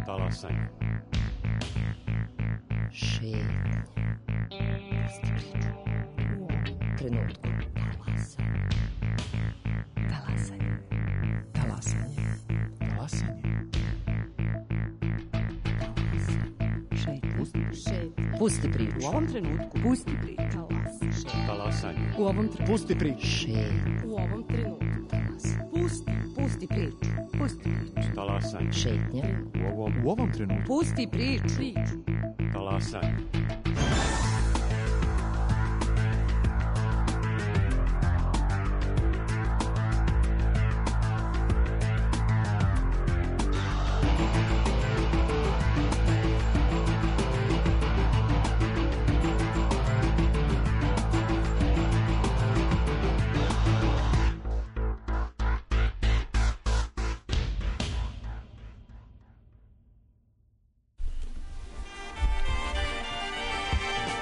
Talasanje. Šetnje. Pusti priču. U ovom trenutku. Talasanje. Talasanje. Talasanje. Šetnje. Pusti priču. U ovom trenutku. Pusti priču. Talasanje. U ovom trenutku. Pusti priču. Šetnje. U ovom trenutku. Pusti priču. Pusti priču. Talasanje. Šetnje. U ovom trenutku. Pusti priču. Talasanje.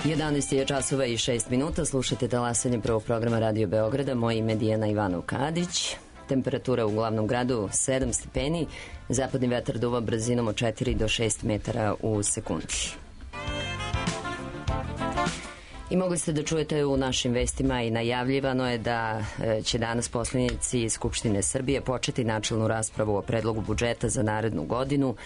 Jedanaest je časova i 6 minuta. Slušate Talasanje prvog programa Radio Beograda. Moje ime je Dijana Ivanov Kadić. Temperatura u glavnom gradu 7 stepeni. Zapadni vetar duva brzinom od 4 do 6 metara u sekundi. I mogli ste da čujete u našim vestima i najavljivano je da će danas poslanici Skupštine Srbije početi načelnu raspravu o predlogu budžeta za narednu godinu.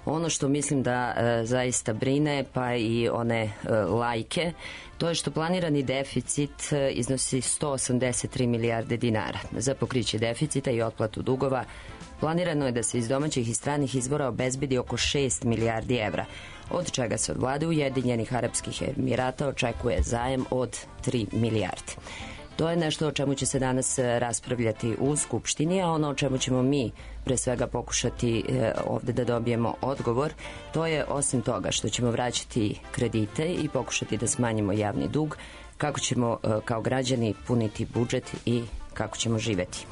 Ono što mislim da zaista brine, pa i one lajke, to je što planirani deficit iznosi 183 milijarde dinara. Za pokriće deficita i otplatu dugova planirano je da se iz domaćih i stranih izvora obezbedi oko 6 milijardi evra, od čega se od vlade Ujedinjenih Arapskih Emirata očekuje zajam od 3 milijarde. To je nešto o čemu će se danas raspravljati u Skupštini, a ono o čemu ćemo mi pre svega pokušati ovde da dobijemo odgovor, to je osim toga što ćemo vraćati kredite i pokušati da smanjimo javni dug, kako ćemo kao građani puniti budžet i kako ćemo živeti.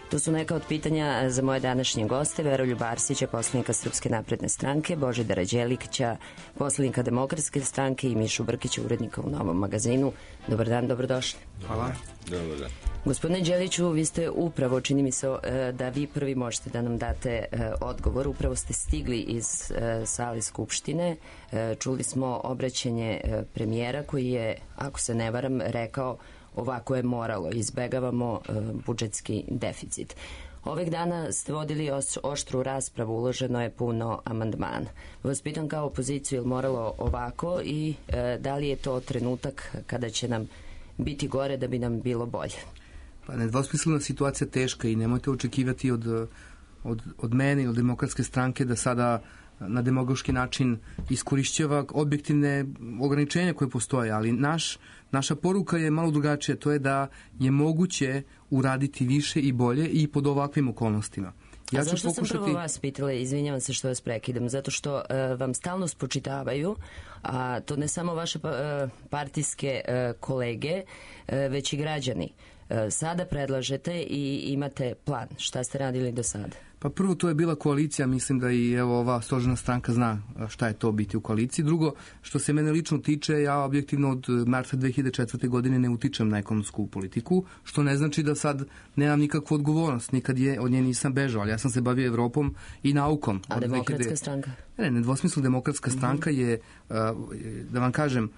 To su neka od pitanja za moje današnje goste: Veroljuba Arsića, poslanika Srpske napredne stranke, Božidara Đelića, poslanika Demokratske stranke i Mišu Brkića, urednika u Novom magazinu. Dobar dan, dobrodošli. Hvala. Dobar dan. Gospodine Đeliću, vi ste upravo, čini mi se da vi prvi možete da nam date odgovor. Upravo ste stigli iz sale Skupštine. Čuli smo obraćanje premijera koji je, ako se ne varam, rekao ovako je moralo, izbegavamo budžetski deficit. Ovih dana ste vodili oštru raspravu, uloženo je puno amandmana. Vas pitam kao opoziciju, je li moralo ovako i da li je to trenutak kada će nam biti gore da bi nam bilo bolje? Pa nedvosmislena situacija teška i nemojte očekivati od mene i od Demokratske stranke da sada na demagoški način iskorišćava objektivne ograničenja koje postoje, ali naša poruka je malo drugačija, to je da je moguće uraditi više i bolje i pod ovakvim okolnostima. Ja zašto sam prvo vas pitala, izvinjavam se što vas prekidam, zato što vam stalno spočitavaju, a to ne samo vaše partijske kolege, već i građani. Sada predlažete i imate plan. Šta ste radili do sada? Pa prvo, to je bila koalicija, mislim da i evo ova stožerna stranka zna šta je to biti u koaliciji. Drugo, što se mene lično tiče, ja objektivno od marta 2004. godine ne utičem na ekonomsku politiku, što ne znači da sad nemam nikakvu odgovornost. Nikad od nje nisam bežao, ali ja sam se bavio Evropom i naukom. A Demokratska stranka? Nedvosmisleno Demokratska stranka je, da vam kažem,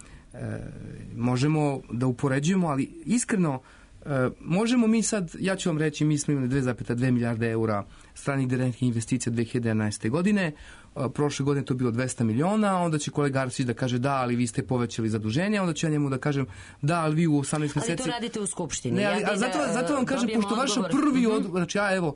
možemo da upoređujemo, ali iskreno, možemo mi sad, ja ću vam reći, mi smo imali 2,2 milijarde eura stranih direktnih investicija 2011. godine, prošle godine to bilo 200 miliona, onda će kolega Arsić da kaže da, ali vi ste povećali zaduženje, onda ću ja njemu da kažem da, ali vi u 18 meseci... Ali to radite u Skupštini. Ne, ali, zato vam kažem, pošto vaša prvi znači ja evo,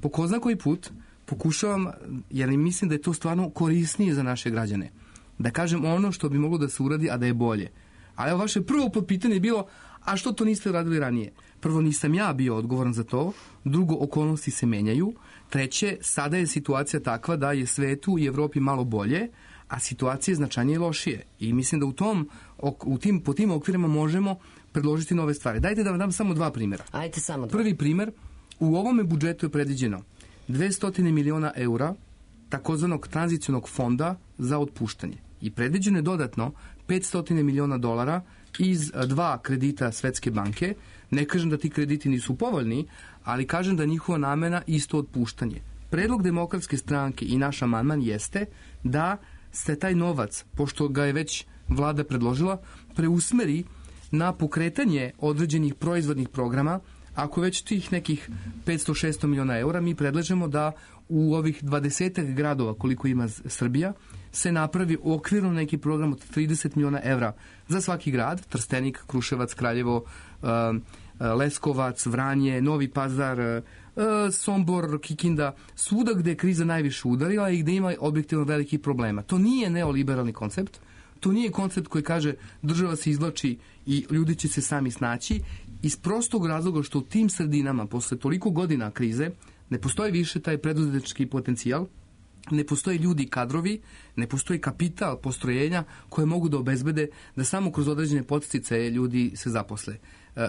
po ko zna koji put pokušavam, jer mislim da je to stvarno korisnije za naše građane, da kažem ono što bi moglo da se uradi, a da je bolje. Ali evo, vaše prvo pitanje je bilo, a što to niste radili ranije? Prvo, nisam ja bio odgovoran za to. Drugo, okolnosti se menjaju. Treće, sada je situacija takva da je svetu i Evropi malo bolje, a situacija je značajnije lošije. I mislim da po tim okvirima možemo predložiti nove stvari. Dajte da vam dam samo dva primjera. Ajde, samo dva. Prvi primjer, u ovome budžetu je predviđeno 200 miliona eura takozvanog tranzicionog fonda za otpuštanje. I predviđeno je dodatno 500 miliona dolara iz dva kredita Svetske banke. Ne kažem da ti krediti nisu povoljni, ali kažem da njihova namena isto otpuštanje. Predlog Demokratske stranke i naš amandman jeste da se taj novac, pošto ga je već vlada predložila, preusmeri na pokretanje određenih proizvodnih programa. Ako već tih nekih 500-600 miliona eura, mi predlažemo da u ovih 20 gradova koliko ima Srbija se napravi okvirno neki program od 30 miliona evra za svaki grad, Trstenik, Kruševac, Kraljevo, Leskovac, Vranje, Novi Pazar, Sombor, Kikinda, svuda gde je kriza najviše udarila i gde ima objektivno velikih problema. To nije neoliberalni koncept, to nije koncept koji kaže država se izvlači i ljudi će se sami snaći, iz prostog razloga što u tim sredinama posle toliko godina krize ne postoji više taj preduzetnički potencijal, ne postoje ljudi i kadrovi, ne postoji kapital, postrojenja koje mogu da obezbede da samo kroz određene podsticaje ljudi se zaposle.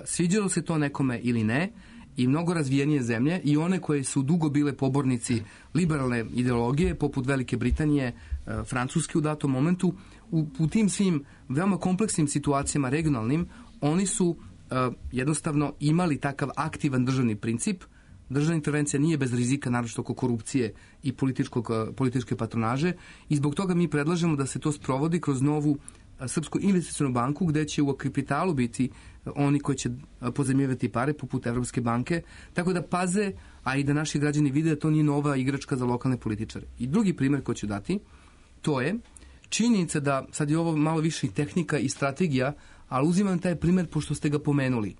Sviđalo se to nekome ili ne, i mnogo razvijenije zemlje i one koje su dugo bile pobornici liberalne ideologije, poput Velike Britanije, Francuske u datom momentu, u tim svim veoma kompleksnim situacijama regionalnim, oni su jednostavno imali takav aktivan državni princip. Državna intervencija nije bez rizika, naročito oko korupcije i političke patronaže, i zbog toga mi predlažemo da se to sprovodi kroz novu Srpsku investicionu banku, gde će u kapitalu biti oni koji će pozajmljivati pare, poput Evropske banke, tako da paze, a i da naši građani vide da to nije nova igračka za lokalne političare. I drugi primjer koji ću dati, to je činjenica da, sad je ovo malo više i tehnika i strategija, ali uzimam taj primjer pošto ste ga pomenuli.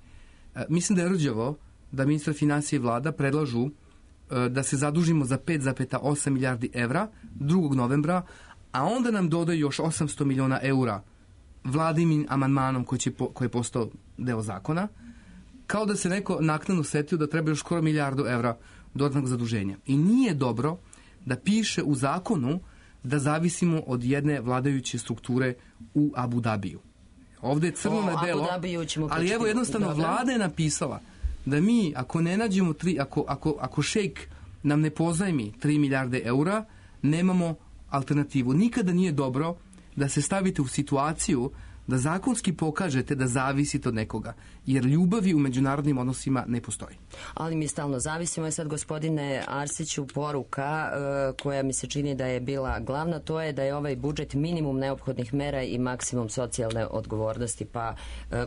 Mislim da je rđavo da ministar finansija i vlada predlažu da se zadužimo za 5,8 milijardi evra 2. novembra, a onda nam dodaju još 800 miliona eura vladinim amandmanom koji je postao deo zakona, kao da se neko naknadno setio da treba još skoro milijardu evra dodatnog zaduženja. I nije dobro da piše u zakonu da zavisimo od jedne vladajuće strukture u Abu Dabiju. Ovde je crno na belo, ali evo jednostavno vlada je napisala da mi, ako ne nađemo ako šejk nam ne pozajmi 3 milijarde eura, nemamo alternativu. Nikada nije dobro da se stavite u situaciju da zakonski pokažete da zavisite od nekoga, jer ljubavi u međunarodnim odnosima ne postoji. Ali mi stalno zavisimo. Je sad, gospodine Arsiću, poruka koja mi se čini da je bila glavna, to je da je ovaj budžet minimum neophodnih mera i maksimum socijalne odgovornosti. Pa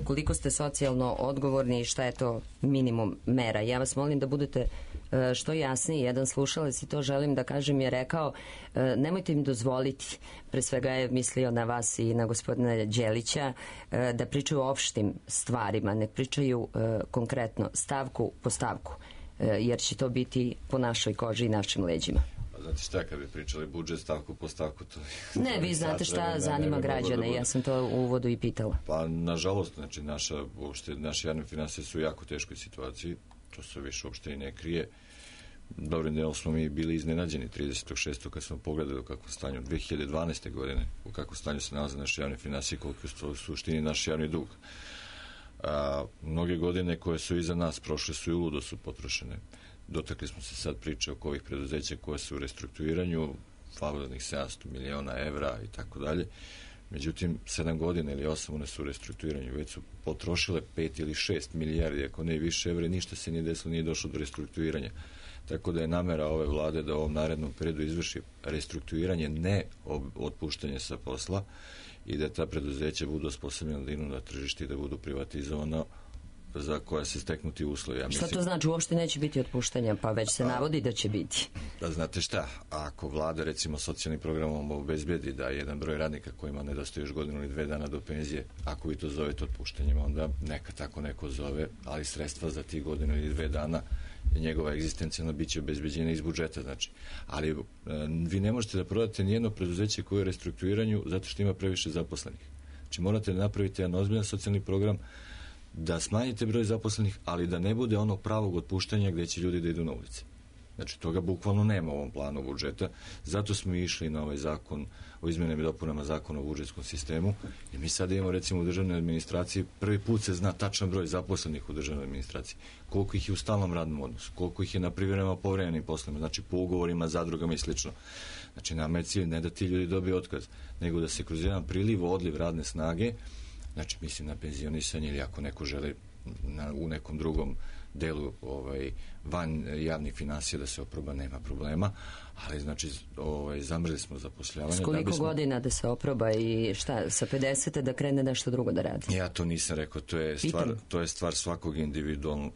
koliko ste socijalno odgovorni i šta je to minimum mera? Ja vas molim da budete što jasniji. Jedan slušalac, i to želim da kažem, je rekao nemojte im dozvoliti, pre svega je mislio na vas i na gospodina Đelića, da pričaju o opštim stvarima, ne pričaju konkretno stavku po stavku, jer će to biti po našoj koži i našim leđima. Znate šta, kad bi pričali budžet stavku po stavku, to... Ne, vi znate šta zanima građane, ja sam to u uvodu i pitala. Pa, nažalost, znači, naše javne finansije su u jako teškoj situaciji, to se više uopšte i ne krije. Dobrim delom smo mi bili iznenađeni 36. kad smo pogledali u kakvom stanju 2012. godine, u kakvom stanju se nalaze naše javne finansije, koliko je u suštini naš javni dug. Mnoge godine koje su iza nas prošle su i uludo su potrošene. Dotakli smo se sad priče oko ovih preduzeća koje su u restrukturiranju, favoriznih 700 miliona evra i tako dalje. Međutim, 7 godina ili 8 one su u restrukturiranju, već su potrošile 5 ili 6 milijardi, ako ne i više evra, ništa se nije desilo, nije došlo do restrukturiranja. Tako da je namera ove vlade da u ovom narednom periodu izvrši restrukturiranje, ne otpuštanje sa posla, i da ta preduzeća budu osposobljena da idu na tržište i da budu privatizovana za koja se steknuti uslovi. Ja mislim... Šta to znači? Uopšte neće biti otpuštanja, pa već se navodi da će biti. Da, znate šta, ako vlada recimo socijalnim programom obezbedi da jedan broj radnika kojima nedostaje još godinu ili 2 dana do penzije, ako vi to zovete otpuštanjem, onda neka tako neko zove, ali sredstva za tih godinu ili 2 dana njegova egzistencijna biće obezbeđena iz budžeta, znači. Ali vi ne možete da prodate nijedno preduzeće koje je u restrukturiranju zato što ima previše zaposlenih. Znači morate da napravite jedan ozbiljan socijalni program, da smanjite broj zaposlenih, ali da ne bude onog pravog otpuštanja gde će ljudi da idu na ulici. Znači, toga bukvalno nema u ovom planu budžeta. Zato smo išli na ovaj zakon o izmenama i dopunama zakona o budžetskom sistemu. I mi sad imamo, recimo, u državnoj administraciji, prvi put se zna tačan broj zaposlenih u državnoj administraciji. Koliko ih je u stalnom radnom odnosu, koliko ih je na privremenim povremenim poslovima, znači po ugovorima, zadrugama i slično. Znači, nama je cilj ne da ti ljudi dobiju otkaz, nego da se kroz jedan priliv, odliv radne snage, znači mislim na penzionisanje ili ako neko želi u nekom drugom delu van javnih finansija da se oproba, nema problema, ali znači zamrzli smo zapošljavanje. S koliko godina da se oproba i šta, sa 50. da krene nešto drugo da radi? Ja to nisam rekao, to je stvar svakog individualnog,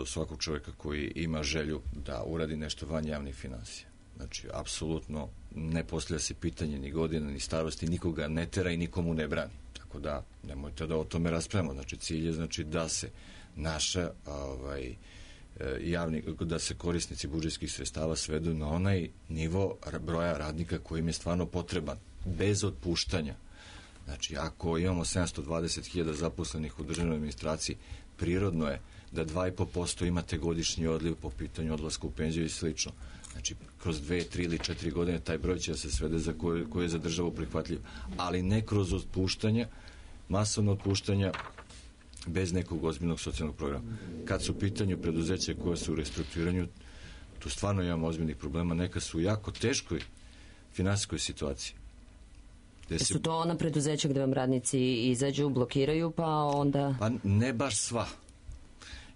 svakog čovjeka koji ima želju da uradi nešto van javnih finansija. Znači, apsolutno ne postavlja se pitanje ni godina, ni starosti, nikoga ne tera i nikomu ne brani. Tako da, nemojte da o tome raspravimo. Znači, cilj je znači da se naša da se korisnici budžetskih sredstava svedu na onaj nivo broja radnika koji im je stvarno potreban, bez otpuštanja. Znači, ako imamo 720.000 zaposlenih u državnoj administraciji, prirodno je da 2,5% imate godišnji odliv po pitanju odlaska u penziju i slično. Znači, kroz 2, 3 ili 4 godine taj broj će da se svede za koje je za državu prihvatljiv. Ali ne kroz otpuštanja, masovno otpuštanja, bez nekog ozbiljnog socijalnog programa. Kad su u pitanju preduzeća koje su u restrukturiranju, tu stvarno imamo ozbiljnih problema. Neka su u jako teškoj finansijskoj situaciji. Su to ona preduzeća gde vam radnici izađu, blokiraju, pa onda... Pa ne baš sva.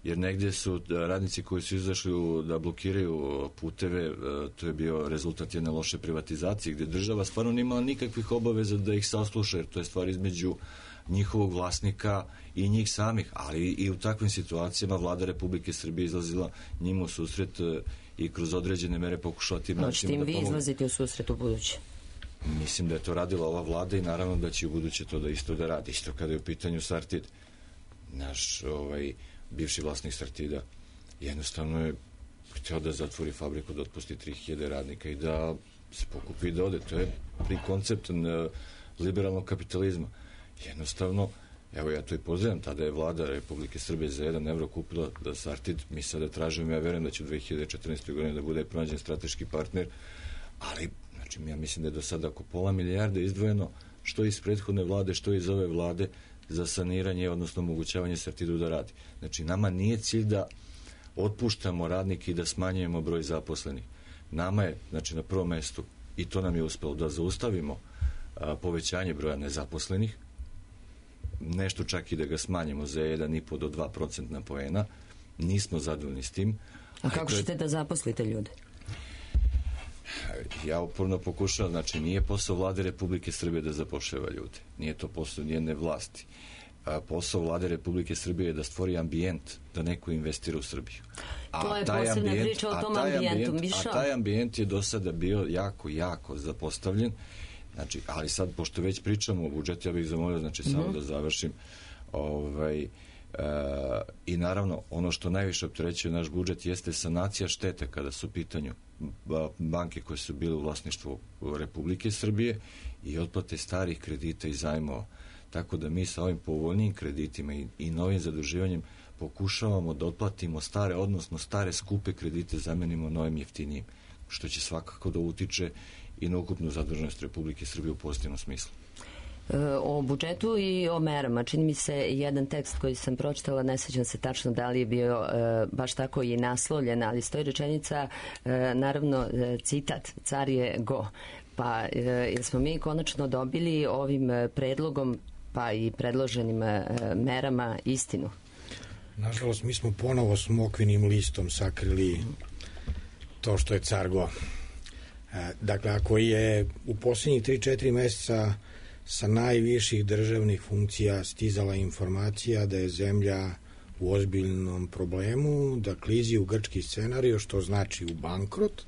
Jer negdje su radnici koji su izašli da blokiraju puteve, to je bio rezultat jedne loše privatizacije, gdje država stvarno nimala nikakvih obaveza da ih sasluša, jer to je stvar između njihovog vlasnika i njih samih, ali i u takvim situacijama vlada Republike Srbije izlazila njima u susret i kroz određene mere pokušala tim načinima da pomogu. Hoćete im vi izlaziti u susret u buduće? Mislim da je to radila ova vlada i naravno da će u buduće to da isto da radi. Isto kada je u pitanju Sartid. Naš bivši vlasnik Sartida jednostavno je htio da zatvori fabriku, da otpusti 3000 radnika i da se pokupi i da ode. To je koncept liberalnog kapitalizma. Jednostavno, evo ja to i pozdravljam, tada je vlada Republike Srbije za 1 evro kupila da Sartid, mi sada tražimo, ja verujem da će u 2014. godini da bude pronađen strateški partner, ali znači, ja mislim da je do sada oko £500 milijarde izdvojeno, što iz prethodne vlade, što iz ove vlade, za saniranje, odnosno omogućavanje Sartidu da radi. Znači, nama nije cilj da otpuštamo radnike i da smanjujemo broj zaposlenih. Nama je, znači, na prvom mestu, i to nam je uspelo, da zaustavimo povećanje broja nezaposlenih, nešto čak i da ga smanjimo za 1,5 do 2% poena. Nismo zadovoljni s tim. A kako ćete da zaposlite ljude? Ja uporno pokušavam, znači nije posao vlade Republike Srbije da zapošljava ljude. Nije to posao nijedne vlasti. Posao vlade Republike Srbije je da stvori ambijent da neko investira u Srbiju. To je posebna priča o tom ambijentu. A taj ambijent je do sada bio jako zapostavljen. Znači, ali sad, pošto već pričamo o budžetu, ja bih zamolio, znači, samo da završim. I naravno, ono što najviše opterećuje naš budžet jeste sanacija štete kada su u pitanju banke koje su bile u vlasništvu Republike Srbije i otplate starih kredita i zajmova. Tako da mi sa ovim povoljnijim kreditima i novim zaduživanjem pokušavamo da otplatimo stare, odnosno stare skupe kredite zamenimo novim jeftinijim, što će svakako da utiče i na ukupnu zaduženost Republike Srbije u pozitivnom smislu. O budžetu i o merama. Čini mi se jedan tekst koji sam pročitala, ne sećam se tačno da li je bio baš tako i naslovljen, ali stoji rečenica, naravno citat, car je go. Pa jer smo mi konačno dobili ovim predlogom pa i predloženim merama istinu? Nažalost, mi smo ponovo smokvinim listom sakrili to što je car go. Dakle, ako je u posljednjih 3-4 meseca sa najviših državnih funkcija stizala informacija da je zemlja u ozbiljnom problemu, da klizi u grčki scenarij, što znači u bankrot,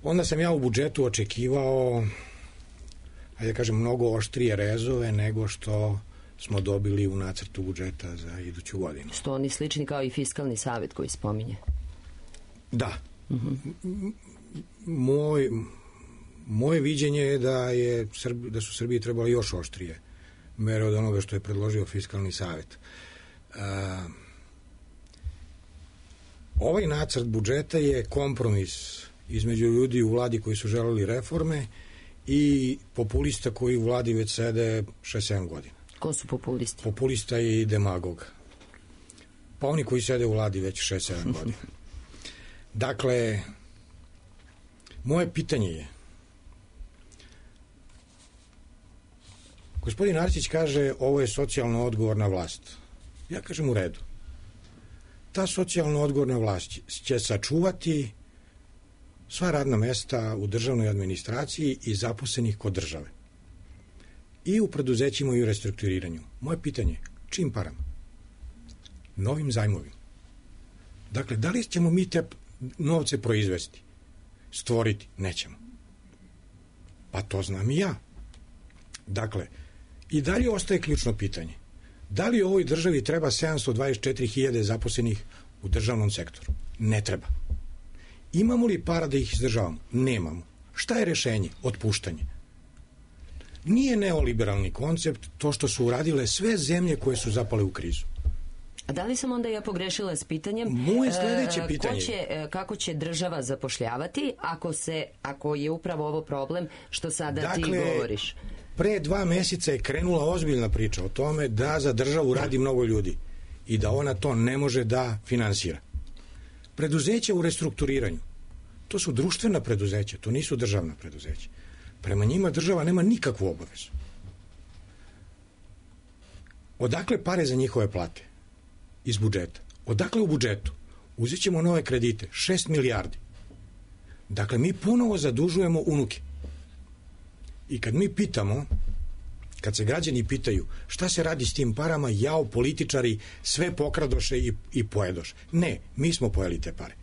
onda sam ja u budžetu očekivao, ajde da kažem, mnogo oštrije rezove nego što smo dobili u nacrtu budžeta za iduću godinu. Što oni slični kao i fiskalni savjet koji spominje? Da. Moje viđenje je da su Srbiji trebali još oštrije mere od onoga što je predložio fiskalni savjet. Ovaj nacrt budžeta je kompromis između ljudi u vladi koji su želeli reforme i populista koji u vladi već sede 6-7 godina. Ko su populisti? Populista i demagog. Pa oni koji sede u vladi već 6-7 godina. Dakle, moje pitanje je, gospodin Arsić kaže ovo je socijalno odgovorna vlast. Ja kažem u redu. ta socijalno odgovorna vlast će sačuvati sva radna mesta u državnoj administraciji i zaposlenih kod države. I u preduzećima i u restrukturiranju. Moje pitanje, čim parama? Novim zajmovima. Dakle, da li ćemo mi te novce proizvesti? Stvoriti? Nećemo. Pa to znam i ja. Dakle, i dalje ostaje ključno pitanje. Da li ovoj državi treba 724.000 zaposlenih u državnom sektoru? Ne treba. Imamo li para da ih izdržavamo? Nemamo. Šta je rešenje? Otpuštanje. Nije neoliberalni koncept to što su uradile sve zemlje koje su zapale u krizu. A da li sam onda ja pogrešila s pitanjem? Moje sledeće pitanje. Kako će država zapošljavati ako je upravo ovo problem što sada ti govoriš? Pre 2 meseca je krenula ozbiljna priča o tome da za državu radi mnogo ljudi i da ona to ne može da finansira. Preduzeća u restrukturiranju, to su društvena preduzeća, to nisu državna preduzeća. Prema njima država nema nikakvu obavezu. Odakle pare za njihove plate? Iz budžeta. Odakle u budžetu? Uzet ćemo nove kredite, 6 milijardi. Dakle, mi ponovo zadužujemo unuke. I kad mi pitamo, kad se građani pitaju šta se radi s tim parama, jao, političari sve pokradoše i pojedoše. Ne, mi smo pojeli te pare.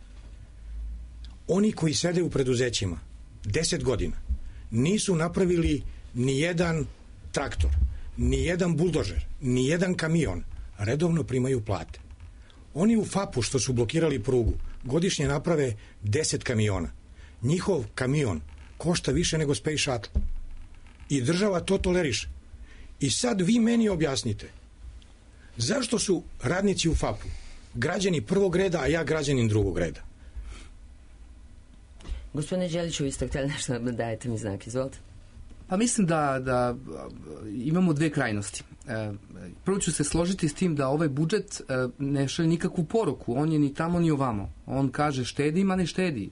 Oni koji sede u preduzećima 10 godina nisu napravili ni jedan traktor, ni jedan buldožer, ni jedan kamion, redovno primaju plate. Oni u FAP-u što su blokirali prugu godišnje naprave 10 kamiona. Njihov kamion košta više nego Space Shuttle. I država to toleriše. I sad vi meni objasnite zašto su radnici u FAP-u građani prvog reda, a ja građanin drugog reda? Gospodine Đeliću, vi ste htjeli nešto da dajete mi znak, izvolite. Pa mislim da imamo dve krajnosti. Prvo ću se složiti s tim da ovaj budžet ne šalje nikakvu poruku. On je ni tamo ni ovamo. On kaže štedi, ma ne štedi.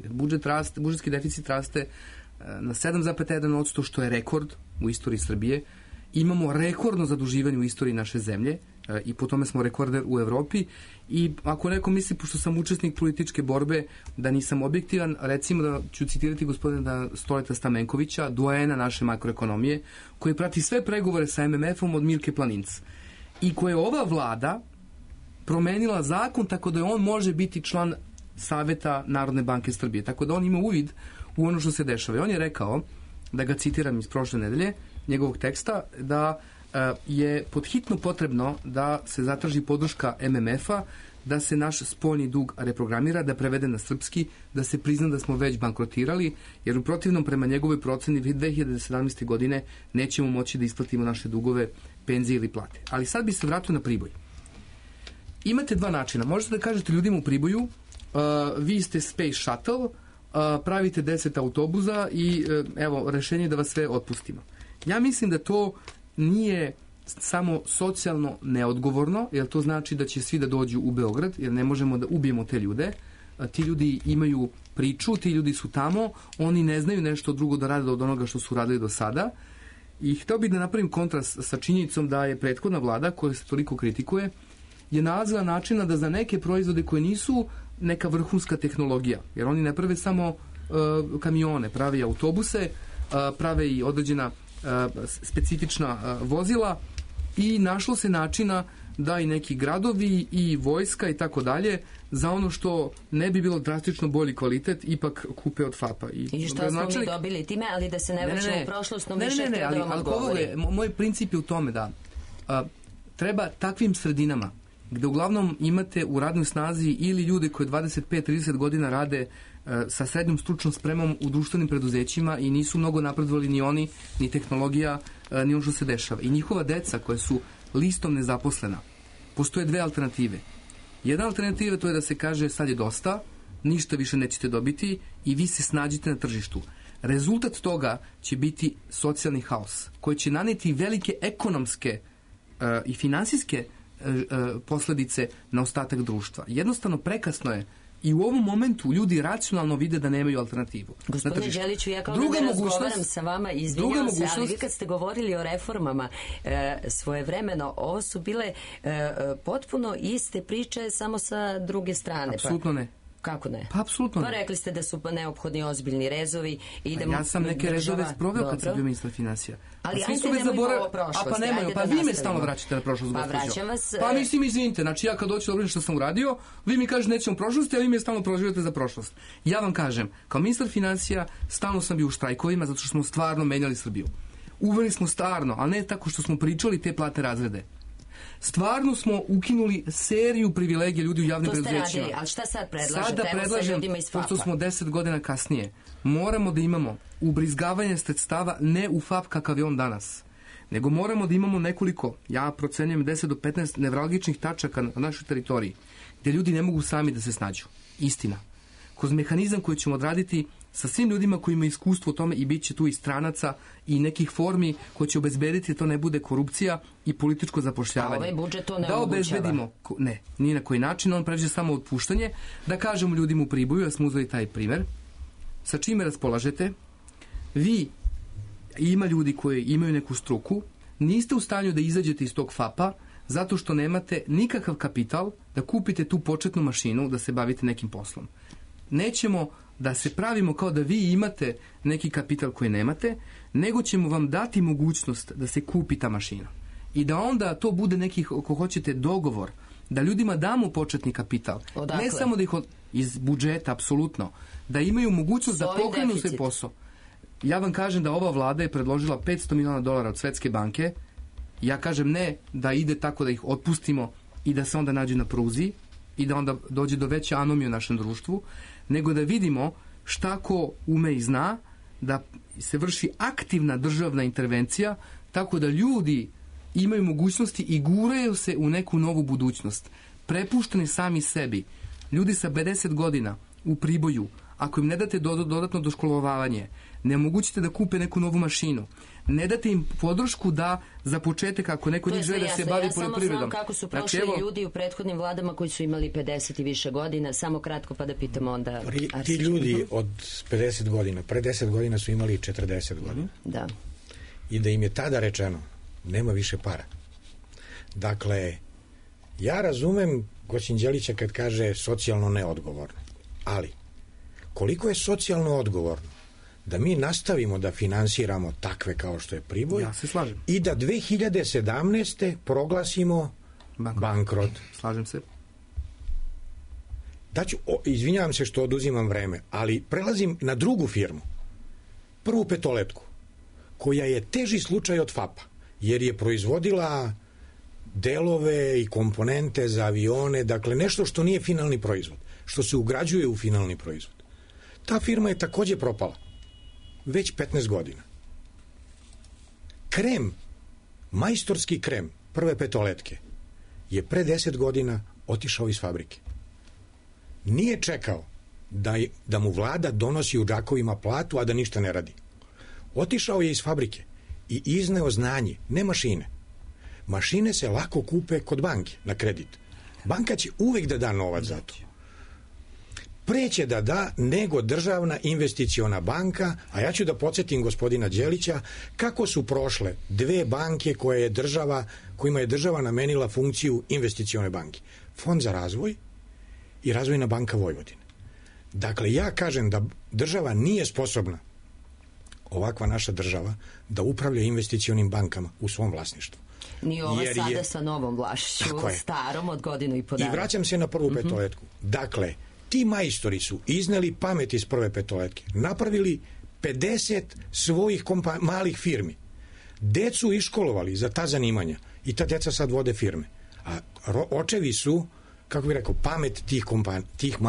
Budžetski deficit raste na 7,1%, što je rekord u istoriji Srbije. Imamo rekordno zaduživanje u istoriji naše zemlje i po tome smo rekorder u Evropi. I ako neko misli, pošto sam učesnik političke borbe, da nisam objektivan, recimo da ću citirati gospodina Stoleta Stamenkovića, doajena naše makroekonomije, koji prati sve pregovore sa MMF-om od Milke Planinc i koje je ova vlada promenila zakon tako da on može biti član Saveta Narodne banke Srbije, tako da on ima uvid u ono što se dešava. I on je rekao, da ga citiram iz prošle nedelje, njegovog teksta, da je podhitno potrebno da se zatraži podrška MMF-a, da se naš spoljni dug reprogramira, da prevede na srpski, da se prizna da smo već bankrotirali, jer u protivnom prema njegovoj proceni 2017. godine nećemo moći da isplatimo naše dugove, penzije ili plate. Ali sad bi se vratio na Priboj. Imate dva načina. Možete da kažete ljudima u Priboju, vi ste Space Shuttle, pravite 10 autobuza i evo, rešenje je da vas sve otpustimo. Ja mislim da to nije samo socijalno neodgovorno, jer to znači da će svi da dođu u Beograd, jer ne možemo da ubijemo te ljude. Ti ljudi imaju priču, ti ljudi su tamo, oni ne znaju nešto drugo da rade od onoga što su radili do sada. I hteo bih da napravim kontrast sa činjenicom da je prethodna vlada, koja se toliko kritikuje, je nalazila načina da za neke proizvode koje nisu neka vrhunska tehnologija, jer oni ne prave samo kamione, prave i autobuse, prave i određena specifična vozila i našlo se načina da i neki gradovi i vojska i tako dalje za ono što ne bi bilo drastično bolji kvalitet ipak kupe od FAP-a. I što smo mi dobili time, ali da se ne vraćamo u prošlost, no više htio da vam odgovorim. Moj princip je u tome da treba takvim sredinama gde uglavnom imate u radnoj snazi ili ljude koji 25-30 godina rade sa srednjom stručnom spremom u društvenim preduzećima i nisu mnogo napredovali ni oni, ni tehnologija, ni ono što se dešava. I njihova deca koja su listom nezaposlena, postoje dve alternative. Jedna alternativa to je da se kaže sad je dosta, ništa više nećete dobiti i vi se snađite na tržištu. Rezultat toga će biti socijalni haos koji će naneti velike ekonomske i finansijske posledice na ostatak društva. Jednostavno prekasno je I u ovom momentu ljudi racionalno vide da nemaju alternativu. Gospodine Đeliću, ja kao da razgovaram sa vama, izvinjam se, ali vi kad ste govorili o reformama svojevremeno, ovo su bile potpuno iste priče, samo sa druge strane. Apsolutno ne. Kako ne? Pa apsolutno ne. Pa rekli ste da su neophodni ozbiljni rezovi. Ja sam neke rezove sproveo kad sam bio ministar finansija. Ali ajde nemojmo ovo prošlosti. Pa vi me stalno vraćate na prošlost. Pa vraćam vas. Pa mislim, izvinite, znači ja kad hoću da što sam uradio, vi mi kažete nećemo prošlosti, a vi me stalno prozivate za prošlost. Ja vam kažem, kao ministar finansija stalno sam bio u štrajkovima zato što smo stvarno menjali Srbiju. Uveli smo stvarno, a ne tako što smo pričali te platne razrede. Stvarno smo ukinuli seriju privilegija ljudi u javnim preduzećima. To ste radili, ali šta sad predlažete? Sada predlažem, pošto smo 10 godina kasnije, moramo da imamo ubrizgavanje sredstava ne u FAP kakav je on danas, nego moramo da imamo nekoliko, ja procenjujem 10 do 15 nevralgičnih tačaka na našoj teritoriji, gdje ljudi ne mogu sami da se snađu. Istina. Kroz mehanizam koji ćemo odraditi sa svim ljudima koji imaju iskustvo u tome i bit će tu i stranaca i nekih formi koji će obezbediti da to ne bude korupcija i političko zapošljavanje. A ovaj budžet to ne da obezbedimo, ne, ni na koji način, on pređe samo otpuštanje, da kažemo ljudima u Priboju, ja smo uzeli taj primer, sa čime raspolažete, vi, ima ljudi koji imaju neku struku, niste u stanju da izađete iz tog FAP-a, zato što nemate nikakav kapital da kupite tu početnu mašinu da se bavite nekim poslom. Nećemo da se pravimo kao da vi imate neki kapital koji nemate, nego ćemo vam dati mogućnost da se kupi ta mašina. I da onda to bude neki, ako hoćete, dogovor, da ljudima damo početni kapital. Odakle? Ne samo da ih iz budžeta, apsolutno, da imaju mogućnost da pokrenu svoj posao. Ja vam kažem da ova vlada je predložila $500 miliona od Svetske banke. Ja kažem ne da ide tako da ih otpustimo i da se onda nađu na pruzi i da onda dođe do veće anomije u našem društvu, nego da vidimo šta ko ume i zna, da se vrši aktivna državna intervencija, tako da ljudi imaju mogućnosti i guraju se u neku novu budućnost. Prepušteni sami sebi. Ljudi sa 50 godina u Priboju, ako im ne date dodatno doškolovavanje, ne omogućite da kupe neku novu mašinu, ne date im podršku da za početak, ako neko njih žele da se bavi poljoprivredom. Ja samo znam kako su prošli ljudi u prethodnim vladama koji su imali 50 i više godina, samo kratko pa da pitamo onda... Ti ljudi od 50 godina, pre 10 godina su imali 40 godina. Da. I da im je tada rečeno, nema više para. Dakle, ja razumem gospodin Đelića kad kaže socijalno neodgovorno, ali koliko je socijalno odgovorno da mi nastavimo da finansiramo takve kao što je Priboj, ja se slažem, i da 2017. proglasimo bankrot. Slažem se. Izvinjavam se što oduzimam vreme, ali prelazim na drugu firmu, Prvu petoletku, koja je teži slučaj od FAP-a, jer je proizvodila delove i komponente za avione, dakle nešto što nije finalni proizvod, što se ugrađuje u finalni proizvod. Ta firma je takođe propala. Već 15 godina. Krem, majstorski krem Prve petoletke je pre 10 godina otišao iz fabrike. Nije čekao da mu vlada donosi u džakovima platu, a da ništa ne radi. Otišao je iz fabrike i izneo znanje, ne mašine. Mašine se lako kupe kod banke na kredit. Banka će uvek da da novac za to. Preće da da nego državna investiciona banka, a ja ću da podsjetim gospodina Đelića kako su prošle dve banke kojima je država namenila funkciju investicione banke. Fond za razvoj i Razvojna banka Vojvodine. Dakle, ja kažem da država nije sposobna, ovakva naša država, da upravlja investicionim bankama u svom vlasništvu. Ni ova sada sa novom vlašću, starom od godinu i po dana. I vraćam se na Prvu petoletku. Dakle, ti majstori su izneli pamet iz Prve petoletke, napravili 50 svojih malih firmi, decu iškolovali za ta zanimanja i ta deca sad vode firme. A očevi su, kako bih rekao, pamet tih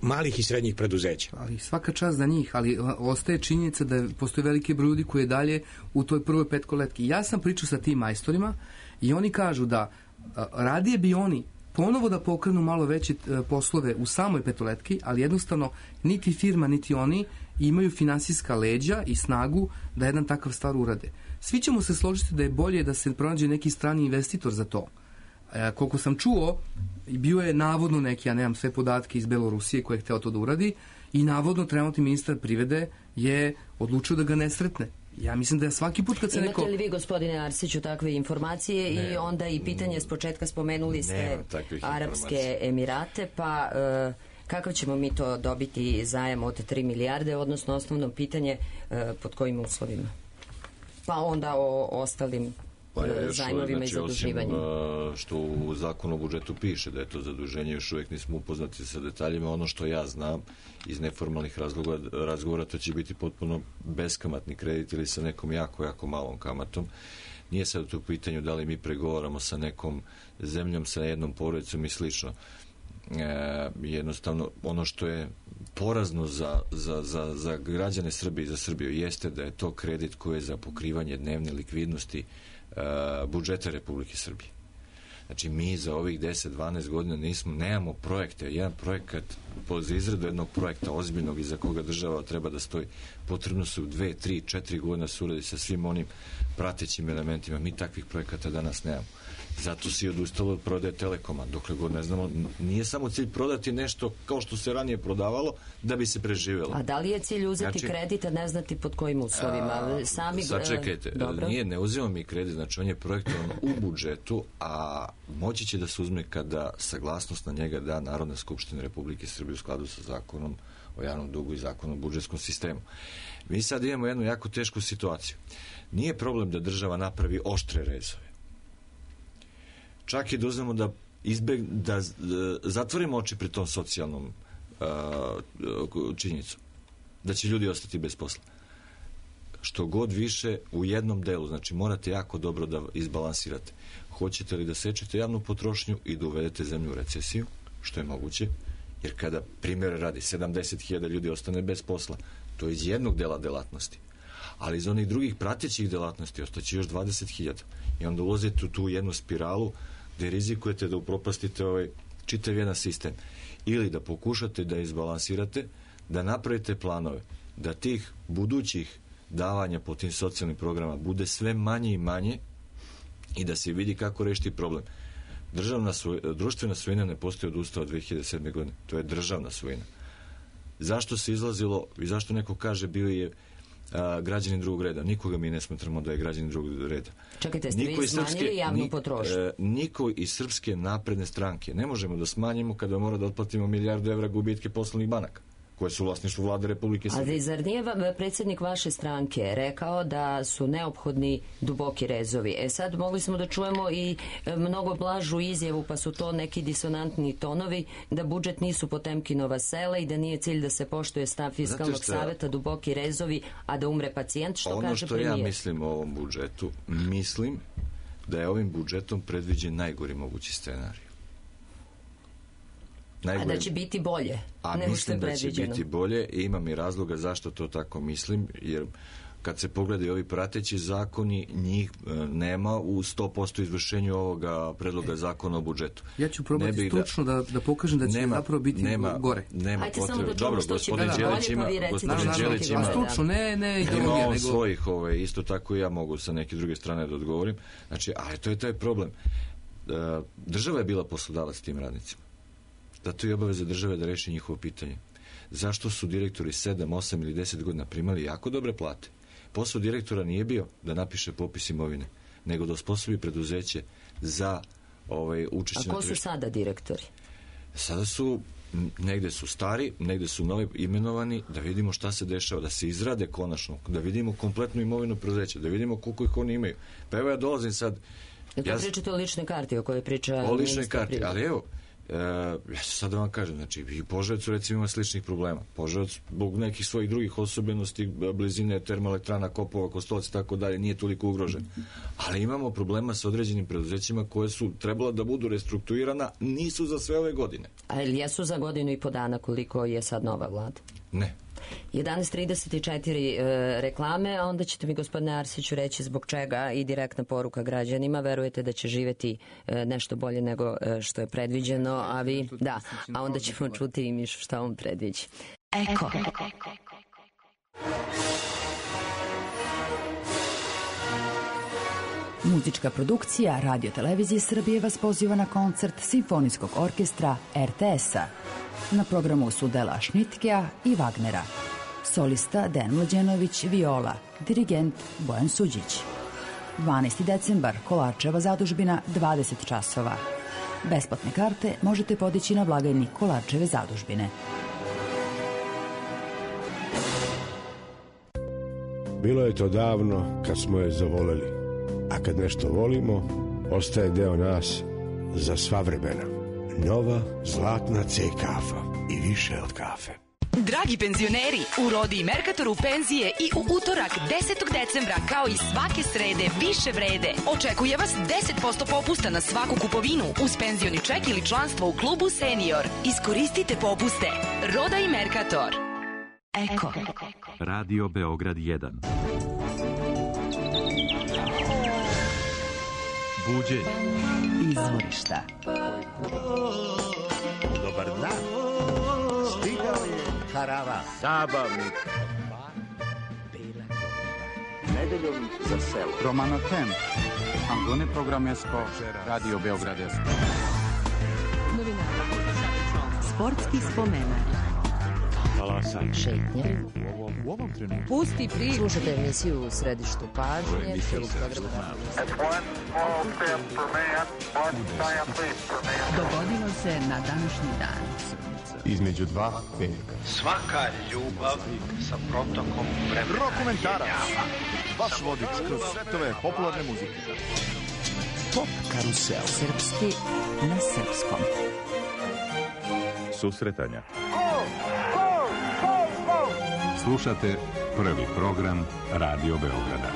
malih i srednjih preduzeća. Ali svaka čast za njih, ali ostaje činjenica da postoji veliki broj ljudi koji je dalje u toj Prvoj petoletki. Ja sam pričao sa tim majstorima i oni kažu da radije bi oni ponovo da pokrenu malo veće poslove u samoj petoletki, ali jednostavno niti firma, niti oni imaju finansijska leđa i snagu da jedan takav stvar urade. Svi ćemo se složiti da je bolje da se pronađe neki strani investitor za to. Koliko sam čuo, bio je navodno neki, ja nemam sve podatke iz Belorusije koje je hteo to da uradi, i navodno trenutni ministar privrede je odlučio da ga ne sretne. Ja mislim da je svaki put kad se neko... Imate li vi, gospodine Arsiću, takve informacije? I onda i pitanje s početka, spomenuli ste Arapske Emirate, pa kakav ćemo mi to dobiti zajam od 3 milijarde, odnosno osnovno pitanje pod kojim uslovima? Pa onda o ostalim zajmovima i zaduživanjima. Osim što u zakonu o budžetu piše da je to zaduženje, još uvijek nismo upoznati sa detaljima. Ono što ja znam iz neformalnih razgovora, to će biti potpuno beskamatni kredit ili sa nekom jako malom kamatom. Nije sad to u pitanju da li mi pregovaramo sa nekom zemljom, sa jednom porodicom i slično. Jednostavno, ono što je porazno za građane Srbije i za Srbiju jeste da je to kredit koji je za pokrivanje dnevne likvidnosti budžeta Republike Srbije. Znači, mi za ovih 10-12 godina nemamo projekte. Jedan projekat, za izradu jednog projekta ozbiljnog iza koga država treba da stoji, potrebno su 2, 3, 4 godina se uradi sa svim onim pratećim elementima. Mi takvih projekata danas nemamo. Zato si odustalo od prodaje Telekoma. Dokle god ne znamo, nije samo cilj prodati nešto kao što se ranije prodavalo da bi se preživjelo. A da li je cilj uzeti kredit, a ne znati pod kojim uslovima? Sačekajte, ne uzimamo mi kredit, znači on je projektovan u budžetu, a moći će da se uzme kada saglasnost na njega da Narodna skupština Republike Srbije u skladu sa zakonom o javnom dugu i zakonom o budžetskom sistemu. Mi sad imamo jednu jako tešku situaciju. Nije problem da država napravi oštre rezove. Čak i da uzmemo da zatvorimo oči pred tom socijalnom činjenicom. Da će ljudi ostati bez posla. Što god više u jednom delu, znači morate jako dobro da izbalansirate. Hoćete li da sečete javnu potrošnju i da uvedete zemlju u recesiju, što je moguće, jer kada primjer radi 70.000 ljudi ostane bez posla, to je iz jednog dela delatnosti. Ali iz onih drugih pratećih delatnosti ostaće još 20.000. I onda ulazite u tu jednu spiralu gde rizikujete da upropastite čitav jedan sistem. Ili da pokušate da izbalansirate, da napravite planove, da tih budućih davanja po tim socijalnim programama bude sve manje i manje i da se vidi kako rešiti problem. Društvena svojina ne postoji od Ustava 2007. godine. To je državna svojina. Zašto se izlazilo i zašto neko kaže bio je građanin drugog reda? Nikoga mi ne smatramo da je građanin drugog reda. Čekajte, ste vi smanjili javnu potrošnju? Niko iz Srpske napredne stranke ne možemo da smanjimo kada mora da otplatimo 1 milijardu evra gubitke poslovnih banaka koje su u vlasništvu vlade Republike Srbije. Ali zar nije predsjednik vaše stranke rekao da su neophodni duboki rezovi? Sad mogli smo da čujemo i mnogo blažu izjavu, pa su to neki disonantni tonovi, da budžet nisu Potemkinova sela i da nije cilj da se poštuje stav Fiskalnog saveta, duboki rezovi, a da umre pacijent, što kaže premijer. Ono što ja mislim o ovom budžetu, mislim da je ovim budžetom predviđen najgori mogući scenarij. A da će biti bolje nego što je predviđeno. A mislim da će biti bolje i imam i razloga zašto to tako mislim, jer kad se pogledaju ovi prateći zakoni, njih nema u 100% izvršenju ovoga predloga zakona o budžetu. Ja ću probati stručno da pokažem da će zapravo biti gore. Nema potrebe. Dobro, gospodin Đelić ima stručno, ne ima on svojih, isto tako i ja mogu sa neke druge strane da odgovorim. Znači, ali to je taj problem. Država je bila poslodavac tim radnicima. Zato je obaveza države da reši njihovo pitanje. Zašto su direktori 7, 8 ili 10 godina primali jako dobre plate? Posao direktora nije bio da napiše popis imovine, nego da osposobi preduzeće za učešće na tržištu. A ko su sada direktori? Sada su, negde su stari, negde su novi imenovani, da vidimo šta se dešava, da se izrade konačno, da vidimo kompletnu imovinu preduzeća, da vidimo koliko ih oni imaju. Pa evo ja dolazim sad... Pričate o ličnoj karti o kojoj priča... O ličnoj karti, ali evo, ja ću sad da vam kažem, znači i Požarevac recimo ima sličnih problema. Požarevac zbog nekih svojih drugih osobenosti, blizine termoelektrana, Kopova, Kostolac i tako dalje, nije toliko ugrožen. Ali imamo problema sa određenim preduzećima koje su trebala da budu restrukturirana, nisu za sve ove godine. A ili jesu za godinu i po dana koliko je sad nova vlada? Ne. 11:34 reklame, a onda ćete mi, gospodine Arsiću, reći zbog čega i direktna poruka građanima. Verujete da će živeti nešto bolje nego što je predviđeno, a vi, da, a onda ćemo čuti i Mišu šta on predviđa. Eko. Muzička produkcija Radio Televizije Srbije vas poziva na koncert Simfonijskog orkestra RTS-a. Na programu su dela Šnitkea i Wagnera. Solista Dejan Mlađenović, viola, dirigent Bojan Suđić. 12. decembar, Kolarčeva zadužbina, 20 časova. Besplatne karte možete podići na blagajni Kolarčeve zadužbine. Bilo je to davno kad smo je zavoleli, a kad nešto volimo, ostaje deo nas za sva vremena. Nova zlatna C kafa i više od kafe. Dragi penzioneri, u Rodi i Merkatoru penzije i u utorak 10. decembra kao i svake srede više vrede. Očekuje vas 10% popusta na svaku kupovinu uz penzioni ček ili članstvo u klubu Senior. Iskoristite popuste. Roda i Merkator. Eko. Radio Beograd 1. Buđenje. Izvorišta. Dobar dan. Stigao je karavan. Zabavnik. Bela korba. Nedeljom za selo. Romano Tem. Angone programesko. Radio Beograd 1. Sportski spomenak. Šetnje. U ovom trenutku. Pusti priču. Slušajte emisiju u središtu pažnje. Dogodilo se na današnji dan. Između dva velika. Svaka ljubav sa protokom vremena. Rokomentarac. Vaš vodič kroz svetove popularne muzike. Pop karusel. Srpski na srpskom. Susretanja. Slušate prvi program Radio Beograda.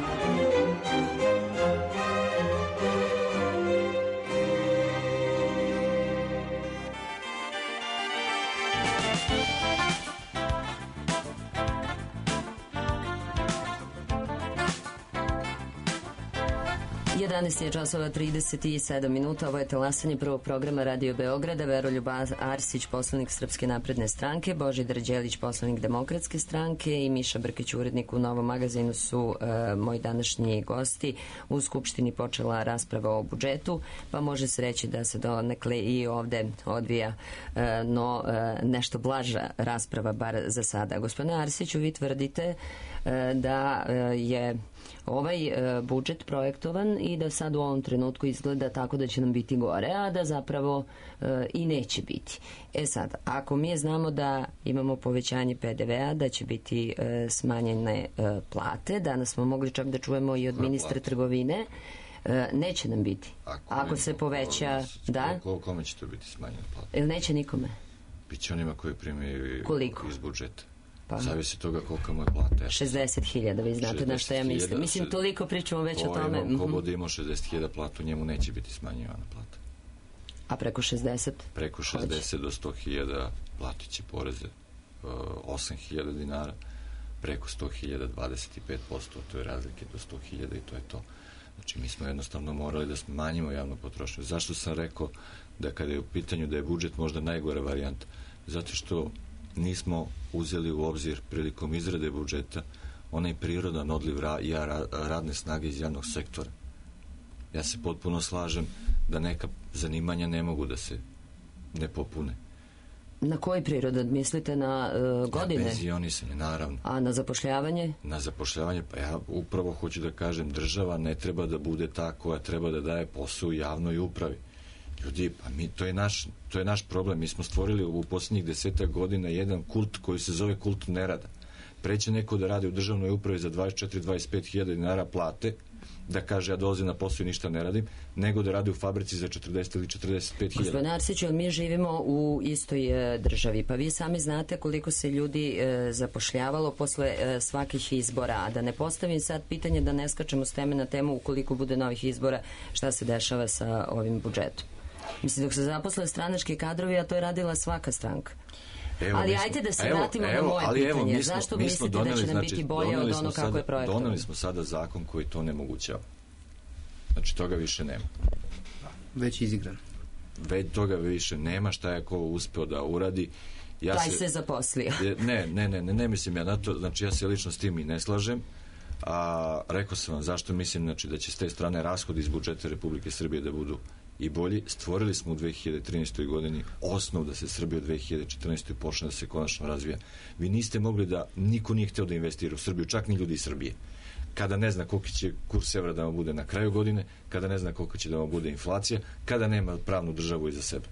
Je časova 37 minuta. Ovo je talasanje prvog programa Radio Beograda. Veroljub Arsić, poslanik Srpske napredne stranke, Božidar Đelić, poslanik Demokratske stranke i Miša Brkić, urednik u Novom magazinu su moji današnji gosti. U Skupštini počela rasprava o budžetu, pa može se reći da se donekle i ovde odvija nešto blaža rasprava, bar za sada. Gospodine Arsiću, vi tvrdite da je ovaj budžet projektovan i da sad u ovom trenutku izgleda tako da će nam biti gore, a da zapravo i neće biti. Sad, ako mi znamo da imamo povećanje PDV-a, da će biti smanjene plate, danas smo mogli čak da čujemo i od ministra trgovine, neće nam biti. Ako se poveća, da? Kome će to biti smanjene plate? Ili neće nikome? Biće onima koji primaju iz budžeta. Pa. Zavisi toga koliko mu je plata. 60.000, vi znate na što ja mislim. Mislim, toliko pričamo već o tome. Ko bude imao 60.000 platu, njemu neće biti smanjivana plata. A preko 60? Preko 60 do 100.000 platit će poreze 8.000 dinara, preko 100.000 25%, to je razlike do 100.000 i to je to. Znači, mi smo jednostavno morali da smanjimo javnu potrošnju. Zašto sam rekao da kada je u pitanju da je budžet možda najgora varijanta? Zato što nismo uzeli u obzir prilikom izrade budžeta onaj prirodan odliv radne snage iz javnog sektora. Ja se potpuno slažem da neka zanimanja ne mogu da se ne popune. Na koji prirodan? Mislite na godine? Na penzionisanje, naravno. A na zapošljavanje? Na zapošljavanje, pa ja upravo hoću da kažem, država ne treba da bude ta koja treba da daje posao u javnoj upravi. Ljudi, pa to je naš problem. Mi smo stvorili u posljednjih 10 godina jedan kult koji se zove kult nerada. Preće neko da radi u državnoj upravi za 24-25.000 dinara plate, da kaže ja dolazim na posao i ništa ne radim, nego da radi u fabrici za 40 ili 45.000. Gospodine Arsiću, mi živimo u istoj državi, pa vi sami znate koliko se ljudi zapošljavalo posle svakih izbora, a da ne postavim sad pitanje, da ne skačemo s teme na temu ukoliko bude novih izbora, šta se dešava sa ovim budžetom. Mislim, dok se zaposle stranački kadrovi, a to je radila svaka stranka. Ali ajte da se vratimo na moje pitanje. Zašto mislite da će nam biti bolje od ono kako je projektovano? Doneli smo sada zakon koji to nemogućava. Znači, toga više nema. Već izigran. Već toga više nema, šta je ko uspeo da uradi. Taj se zaposlio. Ne mislim ja na to, znači ja se lično s tim i ne slažem. Rekao sam vam zašto mislim, znači, da će s te strane rashodi iz budžeta Republike Srbije da budu i bolji. Stvorili smo u 2013. godini osnov da se Srbija u 2014. počne da se konačno razvija. Vi niste mogli da, niko nije hteo da investira u Srbiju, čak ni ljudi iz Srbije. Kada ne zna koliko će kurs evra da vam bude na kraju godine, kada ne zna koliko će da vam bude inflacija, kada nema pravnu državu iza sebe.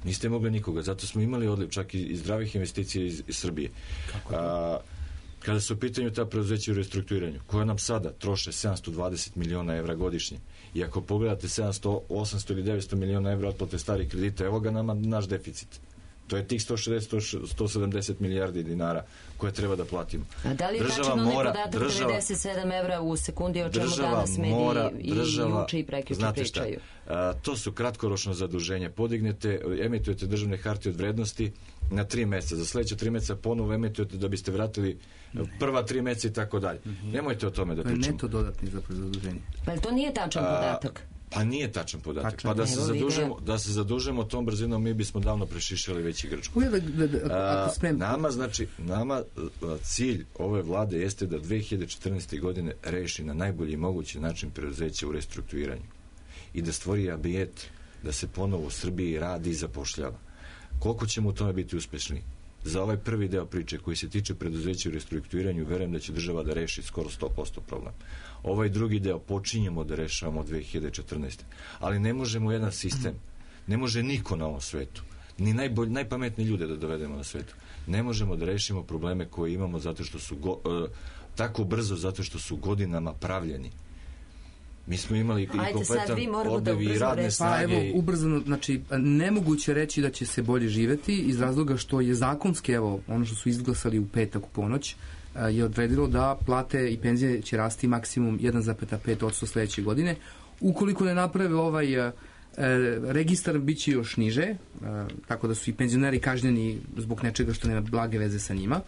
Niste mogli nikoga, zato smo imali odliv čak i zdravih investicija iz Srbije. Kada su u pitanju ta preduzeća u restrukturiranju, koja nam sada troše 720 miliona evra godišnje, i ako pogledate 700, 800 ili 900 miliona evra otplate starih kredita, evo ga nama naš deficit. To je tih 160-170 milijardi dinara koje treba da platimo. A da li je tačno onaj podatak 97 evra u sekundi, o čemu danas mediji i juče i prekjuče pričaju? To su kratkoročno zaduženje. Podignete, emitujete državne hartije od vrednosti na 3 meseca. Za sledeće 3 meseca ponovo emitujete da biste vratili prva 3 meseca i tako dalje. Nemojte o tome da pričamo. To je neto dodatni za zaduženje. Pa to nije tačan podatak? Pa nije tačan podatak. Pa da se zadužemo tom brzinom, mi bismo davno prešišali već i Grčku. Nama cilj ove vlade jeste da 2014. godine reši na najbolji mogući način preduzeća u restrukturiranju i da stvori ambijent da se ponovo u Srbiji radi i zapošljava. Koliko ćemo u tome biti uspešni? Za ovaj prvi deo priče koji se tiče preduzeća u restrukturiranju, verujem da će država da reši skoro 100% problem. Ovaj drugi deo počinjemo da rešavamo od 2014. Ali ne možemo jedan sistem, ne može niko na ovom svetu, ni najpametniji ljude da dovedemo na svetu. Ne možemo da rešimo probleme koje imamo zato što su tako brzo, zato što su godinama pravljeni. Mi smo imali i kompletan odliv i radne snage. Pa evo, ubrzano, znači, nemoguće reći da će se bolje živeti iz razloga što je zakonski, evo, ono što su izglasali u petak u ponoć, je odredilo da plate i penzije će rasti maksimum 1,5% sledeće godine. Ukoliko ne naprave ovaj registar, bit će još niže, tako da su i penzioneri kažnjeni zbog nečega što nema blage veze sa njima.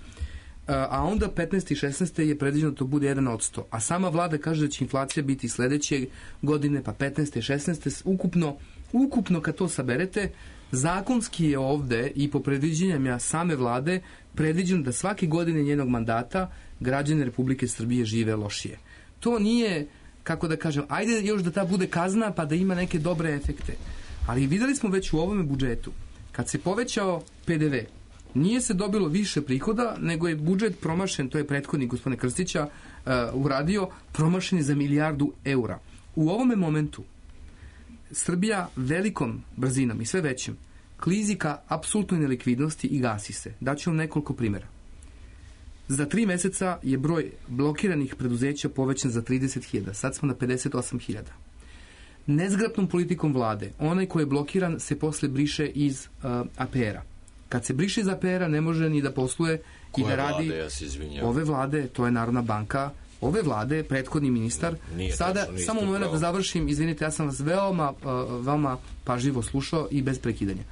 A onda 15. i 16. je predviđeno da to bude 1%. A sama vlada kaže da će inflacija biti sledeće godine, pa 15. i 16. Ukupno kad to saberete, zakonski je ovde i po predviđenjama same vlade predviđeno da svake godine njenog mandata građani Republike Srbije žive lošije. To nije, kako da kažem, ajde još da ta bude kazna pa da ima neke dobre efekte. Ali videli smo već u ovome budžetu, kad se povećao PDV, nije se dobilo više prihoda, nego je budžet promašen, to je prethodnik gospodine Krstića uradio, promašen je za 1 milijardu eura. U ovome momentu Srbija velikom brzinom i sve većim klizi ka apsolutnoj nelikvidnosti i gasi se. Daću vam nekoliko primjera. Za 3 meseca je broj blokiranih preduzeća povećan za 30.000. Sad smo na 58.000. Nezgrapnom politikom vlade, onaj ko je blokiran se posle briše iz APR-a. Kad se briše iz APR-a ne može ni da posluje i da radi. Ove vlade, to je Narodna banka, ove vlade, prethodni ministar. Sada, samo moment da završim, izvinite, ja sam vas veoma pažljivo slušao i bez prekidanja.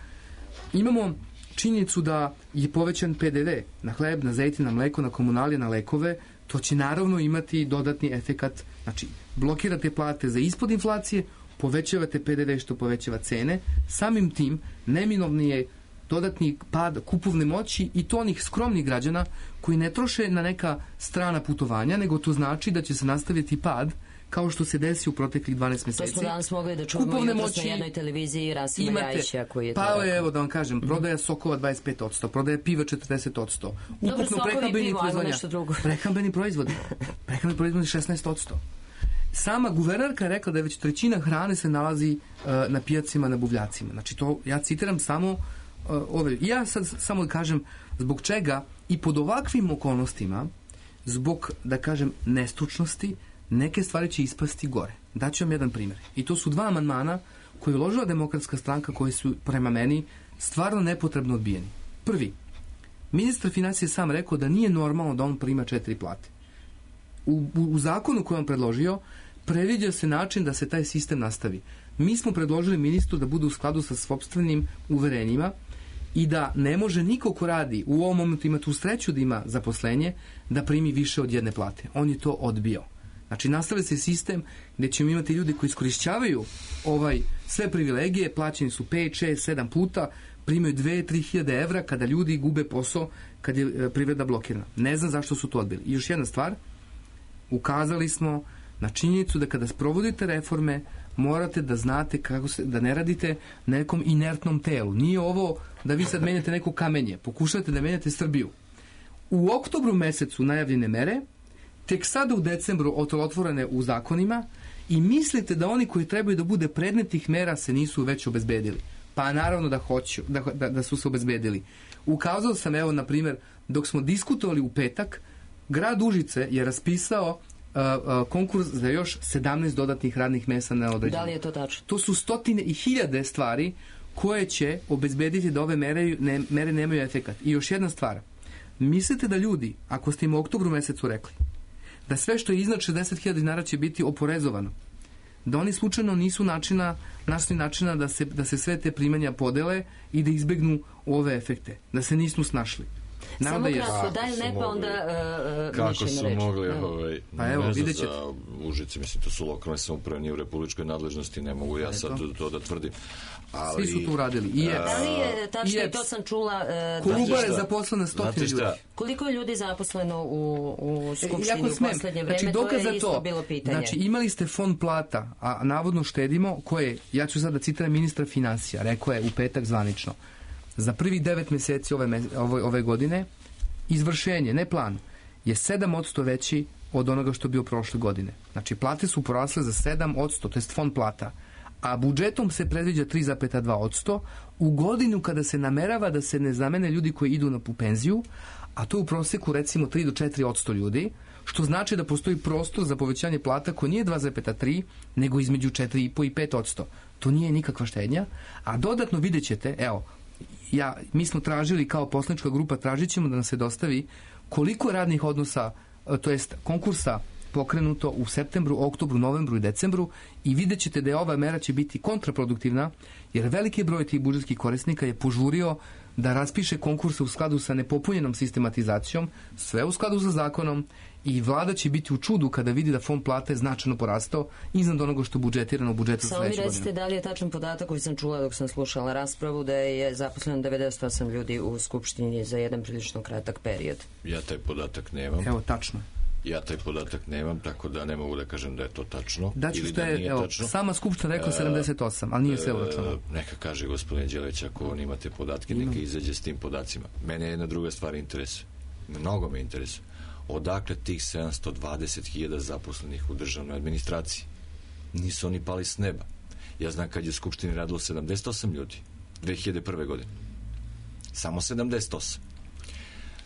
Imamo činjenicu da je povećan PDV na hleb, na zejtin, na mleko, na komunalije, na lekove. To će naravno imati dodatni efekat. Znači, blokirate plate za ispod inflacije, povećavate PDV što povećava cene. Samim tim, neminovni je dodatni pad kupovne moći i to onih skromnih građana koji ne troše na neka strana putovanja, nego to znači da će se nastaviti pad kao što se desi u proteklih 12 meseci. To smo danas mogli da čujemo jutros na jednoj televiziji Rasima Ljajića koji je to rekao. Pa evo da vam kažem, prodaja sokova 25%, prodaja piva 40%. Ukupno prehrambeni proizvodi. Prehrambeni proizvodi 16%. Sama guvernerka je rekla da je već 1/3 hrane se nalazi na pijacima, na buvljacima. Znači to, ja citiram samo ove. Ja sad samo da kažem zbog čega i pod ovakvim okolnostima, zbog, da kažem, nestručnosti, neke stvari će ispasti gore. Daću vam jedan primjer. I to su 2 amandmana koje je uložila Demokratska stranka koji su prema meni stvarno nepotrebno odbijeni. Prvi, ministar financije sam rekao da nije normalno da on prima 4 plate. U zakonu koji on predložio previđa se način da se taj sistem nastavi. Mi smo predložili ministru da bude u skladu sa sopstvenim uverenjima i da ne može niko ko radi u ovom momentu ima tu sreću da ima zaposlenje da primi više od 1 plate. On je to odbio. Znači, nastavlja se sistem gdje ćemo imati ljudi koji iskorišćavaju sve privilegije, plaćeni su 5, 6, 7 puta, primaju 2-3 hiljade evra kada ljudi gube posao, kad je privreda blokirana. Ne znam zašto su to odbili. I još jedna stvar, ukazali smo na činjenicu da kada sprovodite reforme morate da znate da ne radite na nekom inertnom telu. Nije ovo da vi sad menjate neko kamenje, pokušate da menjate Srbiju. U oktobru mesecu najavljene mere, tek sada u decembru otvorene u zakonima i mislite da oni koji trebaju da bude predmet tih mera se nisu već obezbedili. Pa naravno da hoću, da su se obezbedili. Ukazao sam, evo, na primjer, dok smo diskutovali u petak, grad Užice je raspisao konkurs za još 17 dodatnih radnih mesta na određenju. Da li je to tačno? To su stotine i hiljade stvari koje će obezbediti da ove mere nemaju efekat. I još jedna stvar. Mislite da ljudi, ako ste im u oktobru mesecu rekli, da sve što je iznad 60.000 dinara će biti oporezovano, da oni slučajno nisu našli načina da se sve te primanja podele i da izbegnu ove efekte, da se nisu snašli. Samo kratko, daj ne pa onda kako su mogli pa evo, vidjet ćete. za Užice, mislim, to su lokalne samouprave, nije u republičkoj nadležnosti, ne mogu ja sad to da tvrdim. Ali, svi su to uradili. Da li je tačno, i to sam čula... Kolubar je zaposlena 100 ljudi. Koliko je ljudi zaposleno u Skupštini u poslednje vreme? To je isto bilo pitanje. Znači, imali ste fond plata, a navodno štedimo, koje, ja ću sad da citiram ministra finansija, rekao je u petak zvanično, za prvih 9 meseci ove godine izvršenje, ne plan, je 7% veći od onoga što je bio prošle godine. Znači, plate su porasle za 7%, to je fond plata, a budžetom se predviđa 3,2% u godinu kada se namerava da se ne zamene ljudi koji idu na penziju, a to u proseku recimo 3 do 4% ljudi, što znači da postoji prostor za povećanje plata koji nije 2,3, nego između 4,5 i 5%. To nije nikakva štednja, a dodatno vidjet ćete, evo, mi smo tražili kao poslanička grupa, tražit ćemo da nam se dostavi koliko radnih odnosa, to jest konkursa pokrenuto u septembru, oktobru, novembru i decembru i vidjet ćete da je ova mera će biti kontraproduktivna, jer veliki broj tih budžetskih korisnika je požurio da raspiše konkurse u skladu sa nepopunjenom sistematizacijom, sve u skladu sa zakonom, i vlada će biti u čudu kada vidi da fond plate značajno porastao iznad onoga što je budžetirano u budžetu sledeće godine. Samo mi recite da li je tačan podatak koji sam čula dok sam slušala raspravu, da je zaposleno 98 ljudi u Skupštini za jedan prilično kratak period. Ja taj podatak nemam. Evo, tačno. Ja taj podatak nemam, tako da ne mogu da kažem da je to tačno. Ili da nije tačno. Sama Skupština rekla 78, ali nije sve uračunalo. Neka kaže gospodin Đelić, ako on imate podatke, neka izađe s tim podacima. Mene jedna druga stvar interesuje. Mnogo me interesuje. Odakle tih 720.000 zaposlenih u državnoj administraciji? Nisu oni pali s neba. Ja znam kad je u Skupštini radilo 78 ljudi 2001. godine. Samo 78.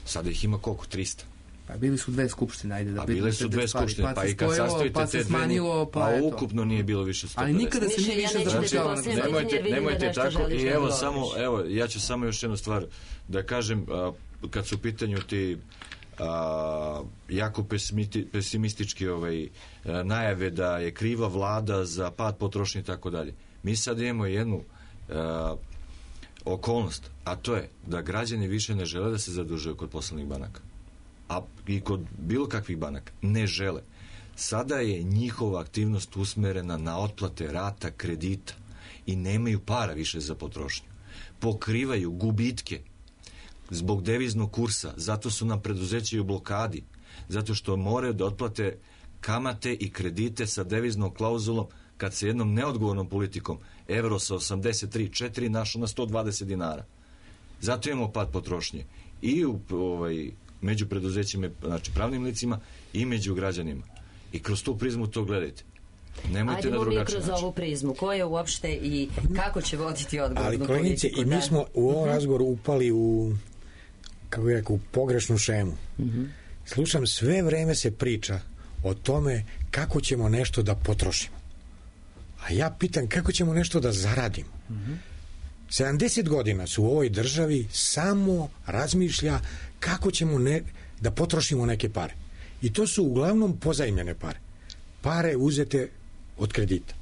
Sada ih ima koliko? 300. Pa bili su dve skupštine, ajde da bile su dve skupštine, pa i kad sastojite te dve, pa ukupno nije bilo više 150. Ali nikada se nije više zapošljavalo. Nemojte tako. I evo, ja ću samo još jednu stvar da kažem, kad su u pitanju ti jako pesimistički najave da je kriva vlada za pad potrošnje i tako dalje. Mi sad imamo jednu okolnost, a to je da građani više ne žele da se zadužuju kod poslovnih banaka, a i kod bilo kakvih banaka ne žele. Sada je njihova aktivnost usmerena na otplate rata kredita i nemaju para više za potrošnju. Pokrivaju gubitke zbog deviznog kursa, zato su nam preduzeća u blokadi, zato što moraju da otplate kamate i kredite sa deviznom klauzulom kad se jednom neodgovornom politikom evro sa 83,4 našao na 120 dinara. Zato imamo pad potrošnje i među preduzećima, znači pravnim licima, i među građanima. I kroz tu prizmu to gledajte. Nemojte na drugačiji način. Kroz ovu prizmu. Ko je uopšte i kako će voditi odgovornu politiku? Ali koleginice, i mi smo u ovom razgovoru upali u, kako bih rekao, u pogrešnu šemu. Slušam, sve vreme se priča o tome kako ćemo nešto da potrošimo. A ja pitam kako ćemo nešto da zaradimo. 70 godina su u ovoj državi samo razmišlja kako ćemo da potrošimo neke pare. I to su uglavnom pozajmljene pare. Pare uzete od kredita.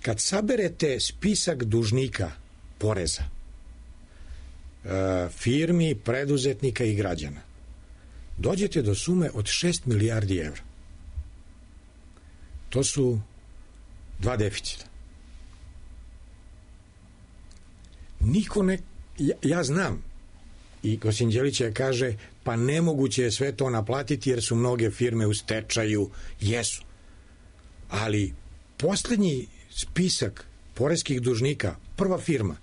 Kad saberete spisak dužnika poreza, firmi, preduzetnika i građana, dođete do sume od 6 milijardi evra. To su 2 deficita. Niko ne... Ja znam I gospodin Đelić kaže, pa nemoguće je sve to naplatiti jer su mnoge firme u stečaju. Jesu. Ali poslednji spisak poreskih dužnika, prva firma,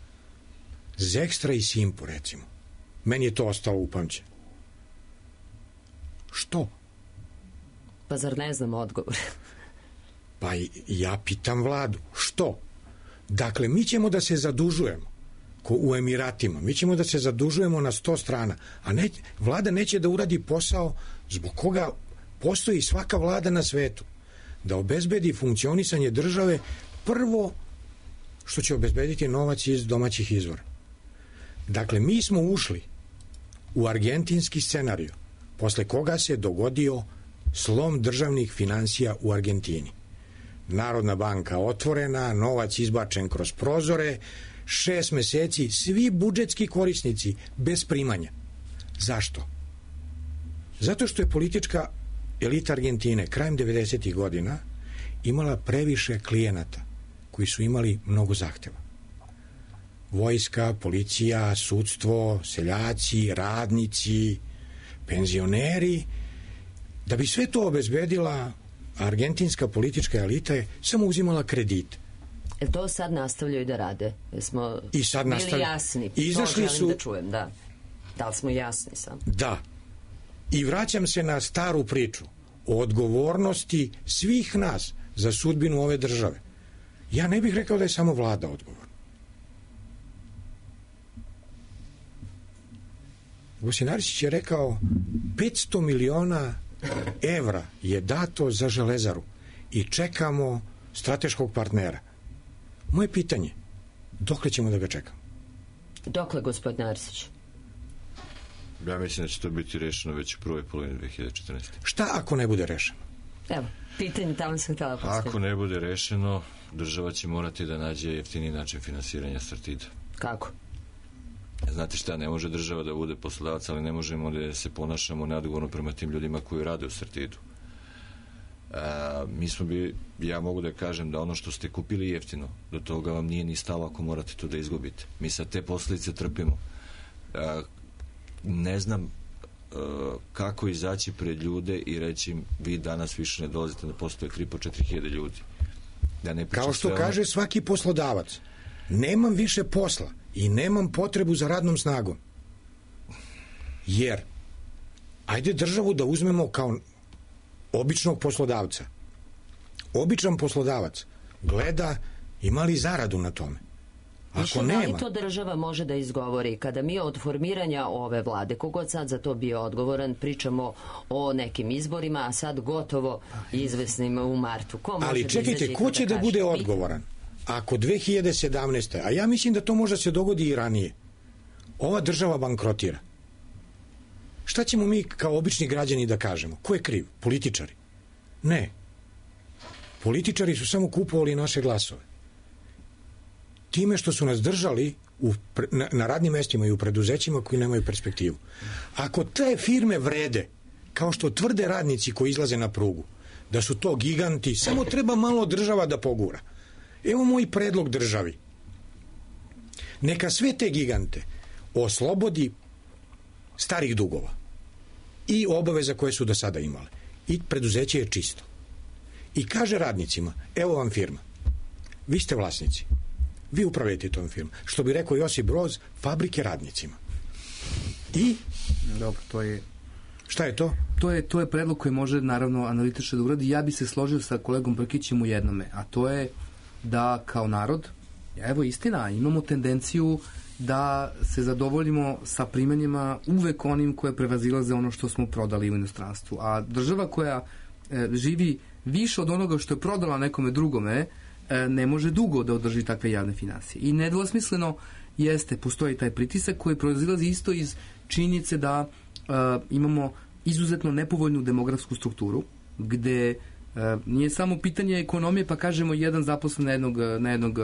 Zekstra i Simpo, recimo. Meni je to ostalo upamćeno. Što? Pa zar ne znam odgovor? Pa ja pitam vladu. Što? Dakle, mi ćemo da se zadužujemo u Emiratima. Mi ćemo da se zadužujemo na 100 strana. A vlada neće da uradi posao zbog koga postoji svaka vlada na svetu. Da obezbedi funkcionisanje države prvo što će obezbediti novac iz domaćih izvora. Dakle, mi smo ušli u argentinski scenariju posle koga se dogodio slom državnih finansija u Argentini. Narodna banka otvorena, novac izbačen kroz prozore, 6 meseci, svi budžetski korisnici bez primanja. Zašto? Zato što je politička elita Argentine krajem 90. godina imala previše klijenata koji su imali mnogo zahteva. Vojska, policija, sudstvo, seljaci, radnici, penzioneri. Da bi sve to obezbedila, argentinska politička elita je samo uzimala kredite. To sad nastavljaju da rade? Smo I sad bili jasni? Izašli to želim da čujem, da. Da li smo jasni sam? Da. I vraćam se na staru priču o odgovornosti svih nas za sudbinu ove države. Ja ne bih rekao da je samo vlada odgovorna. Gosin Arsić je rekao 500 miliona evra je dato za Železaru i čekamo strateškog partnera. Moje pitanje, dokle ćemo da ga čekamo? Dokle, gospodin Arsić? Ja mislim da će to biti rešeno već u prvoj polovini 2014. Šta ako ne bude rešeno? Evo, pitanje tamo sam htjela postaviti. Ako ne bude rešeno, država će morati da nađe jeftiniji način finansiranja Sartida. Kako? Znate šta, ne može država da bude poslodavac, ali ne možemo da se ponašamo neodgovorno prema tim ljudima koji rade u Sartidu. Ja mogu da kažem da ono što ste kupili jeftino, do toga vam nije ni stalo ako morate to da izgubite. Mi sad te posljedice trpimo. Ne znam kako izaći pred ljude i reći im, vi danas više ne dolazite da postoje 3.000-4.000 ljudi. Kao što kaže svaki poslodavac, nemam više posla i nemam potrebu za radnom snagom. Jer, ajde državu da uzmemo kao običnog poslodavca. Običan poslodavac gleda ima li zaradu na tome. Ako nema... Da li to država može da izgovori? Kada mi od formiranja ove vlade, kogod sad za to bio odgovoran, pričamo o nekim izborima, a sad gotovo izvesnim u martu. Ko može ali čekajte, ko će da bude odgovoran? Ako 2017. A ja mislim da to možda se dogodi i ranije. Ova država bankrotira. Šta ćemo mi kao obični građani da kažemo? Ko je kriv? Političari? Ne. Političari su samo kupovali naše glasove. Time što su nas držali na radnim mestima i u preduzećima koji nemaju perspektivu. Ako te firme vrede, kao što tvrde radnici koji izlaze na prugu, da su to giganti, samo treba malo država da pogura. Evo moj predlog državi. Neka sve te gigante oslobodi starih dugova i obaveza koje su do sada imale. I preduzeće je čisto. I kaže radnicima, evo vam firma. Vi ste vlasnici. Vi upravljate tom firmom. Što bi rekao Josip Broz, fabrike radnicima. I? Dobro, to je... Šta je to? To je predlog koji može, naravno, analitično da uradi. Ja bi se složio sa kolegom Brkićem u jednome, a to je da kao narod, evo istina, imamo tendenciju da se zadovoljimo sa primanjima uvek onim koje prevazilaze ono što smo prodali u inostranstvu. A država koja živi više od onoga što je prodala nekome drugome, ne može dugo da održi takve javne finansije. I nedvosmisleno postoji taj pritisak koji proizilazi isto iz činjenice da imamo izuzetno nepovoljnu demografsku strukturu, gde nije samo pitanje ekonomije, pa kažemo jedan zaposlen na jednog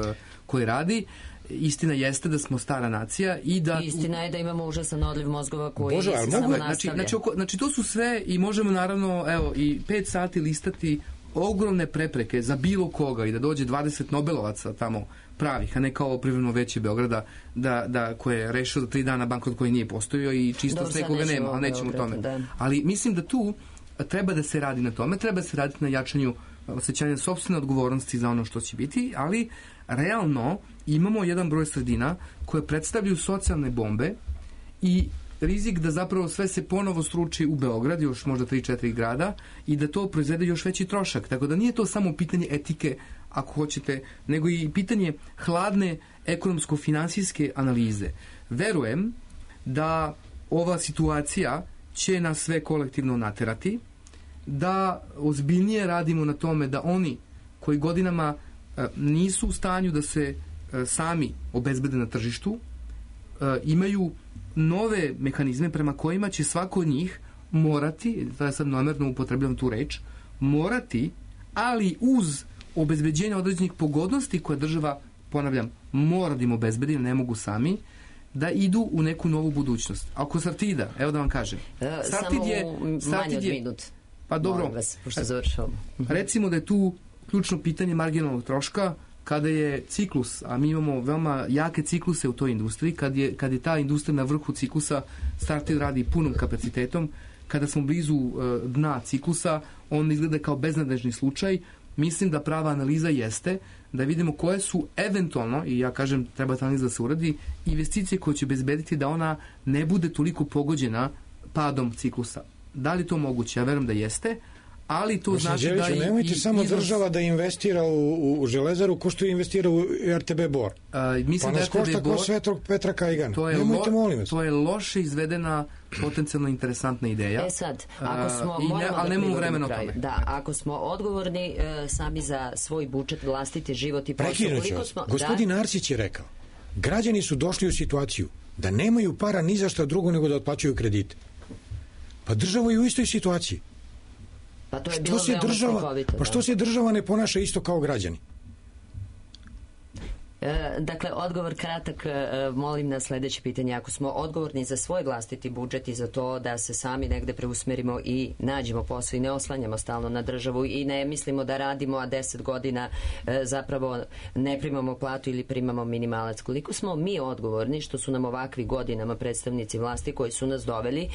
koji radi. Istina jeste da smo stara nacija i da... Istina je da imamo užasan odliv mozgova koji se samo nastavlja. Znači to su sve i možemo naravno i 5 sati listati ogromne prepreke za bilo koga i da dođe 20 Nobelovaca tamo pravih, a ne kao privremeno veće Beograda koje je rešio za 3 dana bankrot koji nije postojio i čisto sve koga nema, ali nećemo o tome. Da. Ali mislim da tu treba da se radi na tome, treba se raditi na jačanju osjećanja sopstvene odgovornosti za ono što će biti, ali realno imamo jedan broj sredina koje predstavljaju socijalne bombe i rizik da zapravo sve se ponovo struči u Beograd, još možda 3-4 grada, i da to proizvede još veći trošak. Tako da nije to samo pitanje etike, ako hoćete, nego i pitanje hladne ekonomsko-finansijske analize. Verujem da ova situacija će nas sve kolektivno naterati, da ozbiljnije radimo na tome da oni koji godinama nisu u stanju da se sami obezbede na tržištu, imaju nove mehanizme prema kojima će svako od njih morati, da je sad namerno upotrebljam tu reč, morati, ali uz obezbeđenje određenih pogodnosti koje država, ponavljam, mora da im obezbedi, ne mogu sami, da idu u neku novu budućnost. Ako Sartida, evo da vam kažem, Sartid je manje od minut. Pa dobro, vas, pošto završavamo. Recimo da je tu ključno pitanje marginalnog troška, kada je ciklus, a mi imamo veoma jake cikluse u toj industriji, kad je ta industrija na vrhu ciklusa, Sartid radi punom kapacitetom, kada smo blizu dna ciklusa, on izgleda kao beznadežni slučaj. Mislim da prava analiza jeste da vidimo koje su eventualno, i ja kažem treba ta analiza da se uradi, investicije koje će bezbediti da ona ne bude toliko pogođena padom ciklusa. Da li to moguće? Ja verujem da jeste, ali to znači da i nemojte samo država da investira u Železaru ko što investira u RTB Bor. Mislim pa nas košta ko Svetog Petra Kajgana. Nemojte, molim vas. To je loše izvedena, potencijalno interesantna ideja. Sad, ako smo, ali nemamo vremena o tome. Da, ako smo odgovorni sami za svoj budžet, vlastiti život i posao. Gospodin Arsić je rekao, građani su došli u situaciju da nemaju para ni za šta drugo nego da otplaćuju kredite. Pa država je u istoj situaciji. Pa to je bilo veoma slikovito. Pa što se država ne ponaša isto kao građani? Dakle, odgovor kratak, molim na sledeće pitanje. Ako smo odgovorni za svoj vlastiti budžet i za to da se sami negde preusmerimo i nađemo posao i ne oslanjamo stalno na državu i ne mislimo da radimo, a 10 godina zapravo ne primamo platu ili primamo minimalac. Koliko smo mi odgovorni što su nam ovakvi godinama predstavnici vlasti koji su nas doveli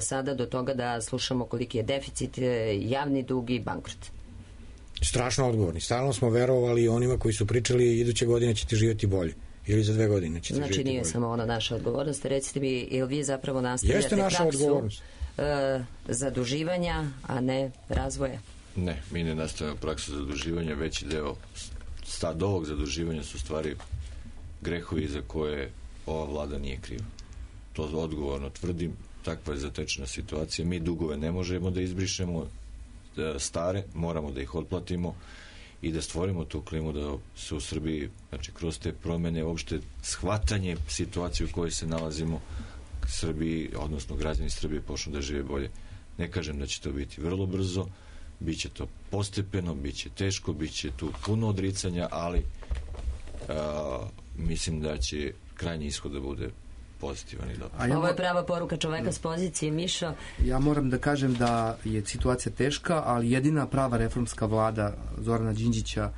sada do toga da slušamo koliki je deficit, javni dug i bankrot? Strašno odgovorni. Stalno smo verovali onima koji su pričali iduće godine ćete živjeti bolje. Ili za 2 godine ćete živjeti bolje. Znači nije samo ona naša odgovornost. Recite mi, ili vi zapravo nastavljate praksu zaduživanja, a ne razvoja? Ne, mi ne nastavljamo praksu zaduživanja. Veći deo od ovog zaduživanja su stvari grehovi za koje ova vlada nije kriva. To odgovorno tvrdim. Takva je zatečena situacija. Mi dugove ne možemo da izbrišemo stare, moramo da ih otplatimo i da stvorimo tu klimu da se u Srbiji, znači kroz te promene, uopšte shvatanje situacije u kojoj se nalazimo, Srbiji, odnosno građani Srbije počnu da žive bolje. Ne kažem da će to biti vrlo brzo, bit će to postepeno, bit će teško, bit će tu puno odricanja, ali mislim da će krajnji ishod da bude pozitivan i dobar. Ovo je prava poruka čoveka s pozicije, Mišo. Ja moram da kažem da je situacija teška, ali jedina prava reformska vlada Zorana Đinđića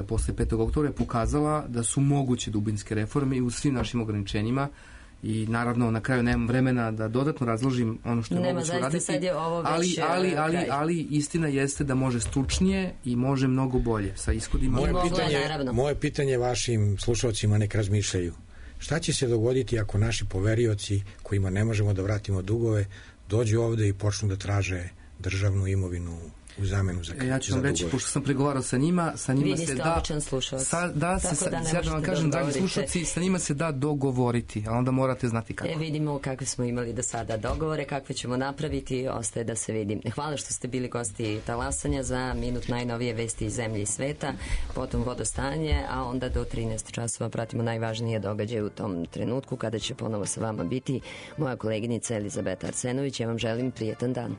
posle 5. oktobra je pokazala da su moguće dubinske reforme i u svim našim ograničenjima i naravno na kraju nemam vremena da dodatno razložim ono što je moguće uraditi, ali istina jeste da može stručnije i može mnogo bolje sa ishodima. Moje pitanje vašim slušalcima nek razmišljaju. Šta će se dogoditi ako naši poverioci kojima ne možemo da vratimo dugove dođu ovde i počnu da traže državnu imovinu u zamenu za dugove? Ja ću vam reći, pošto sam pregovarao sa njima vi niste običan slušalac. Ja da vam kažem, dragi slušalci, sa njima se da dogovoriti, a onda morate znati kako. Vidimo kakve smo imali do sada dogovore, kakve ćemo napraviti, ostaje da se vidi. Hvala što ste bili gosti Talasanja, za minut najnovije vesti iz zemlje i sveta, potom vodostanje, a onda do 13 časova pratimo najvažnije događaje u tom trenutku, kada će ponovo sa vama biti moja koleginica Elizabeta Arsenović. Ja vam želim prijetan dan.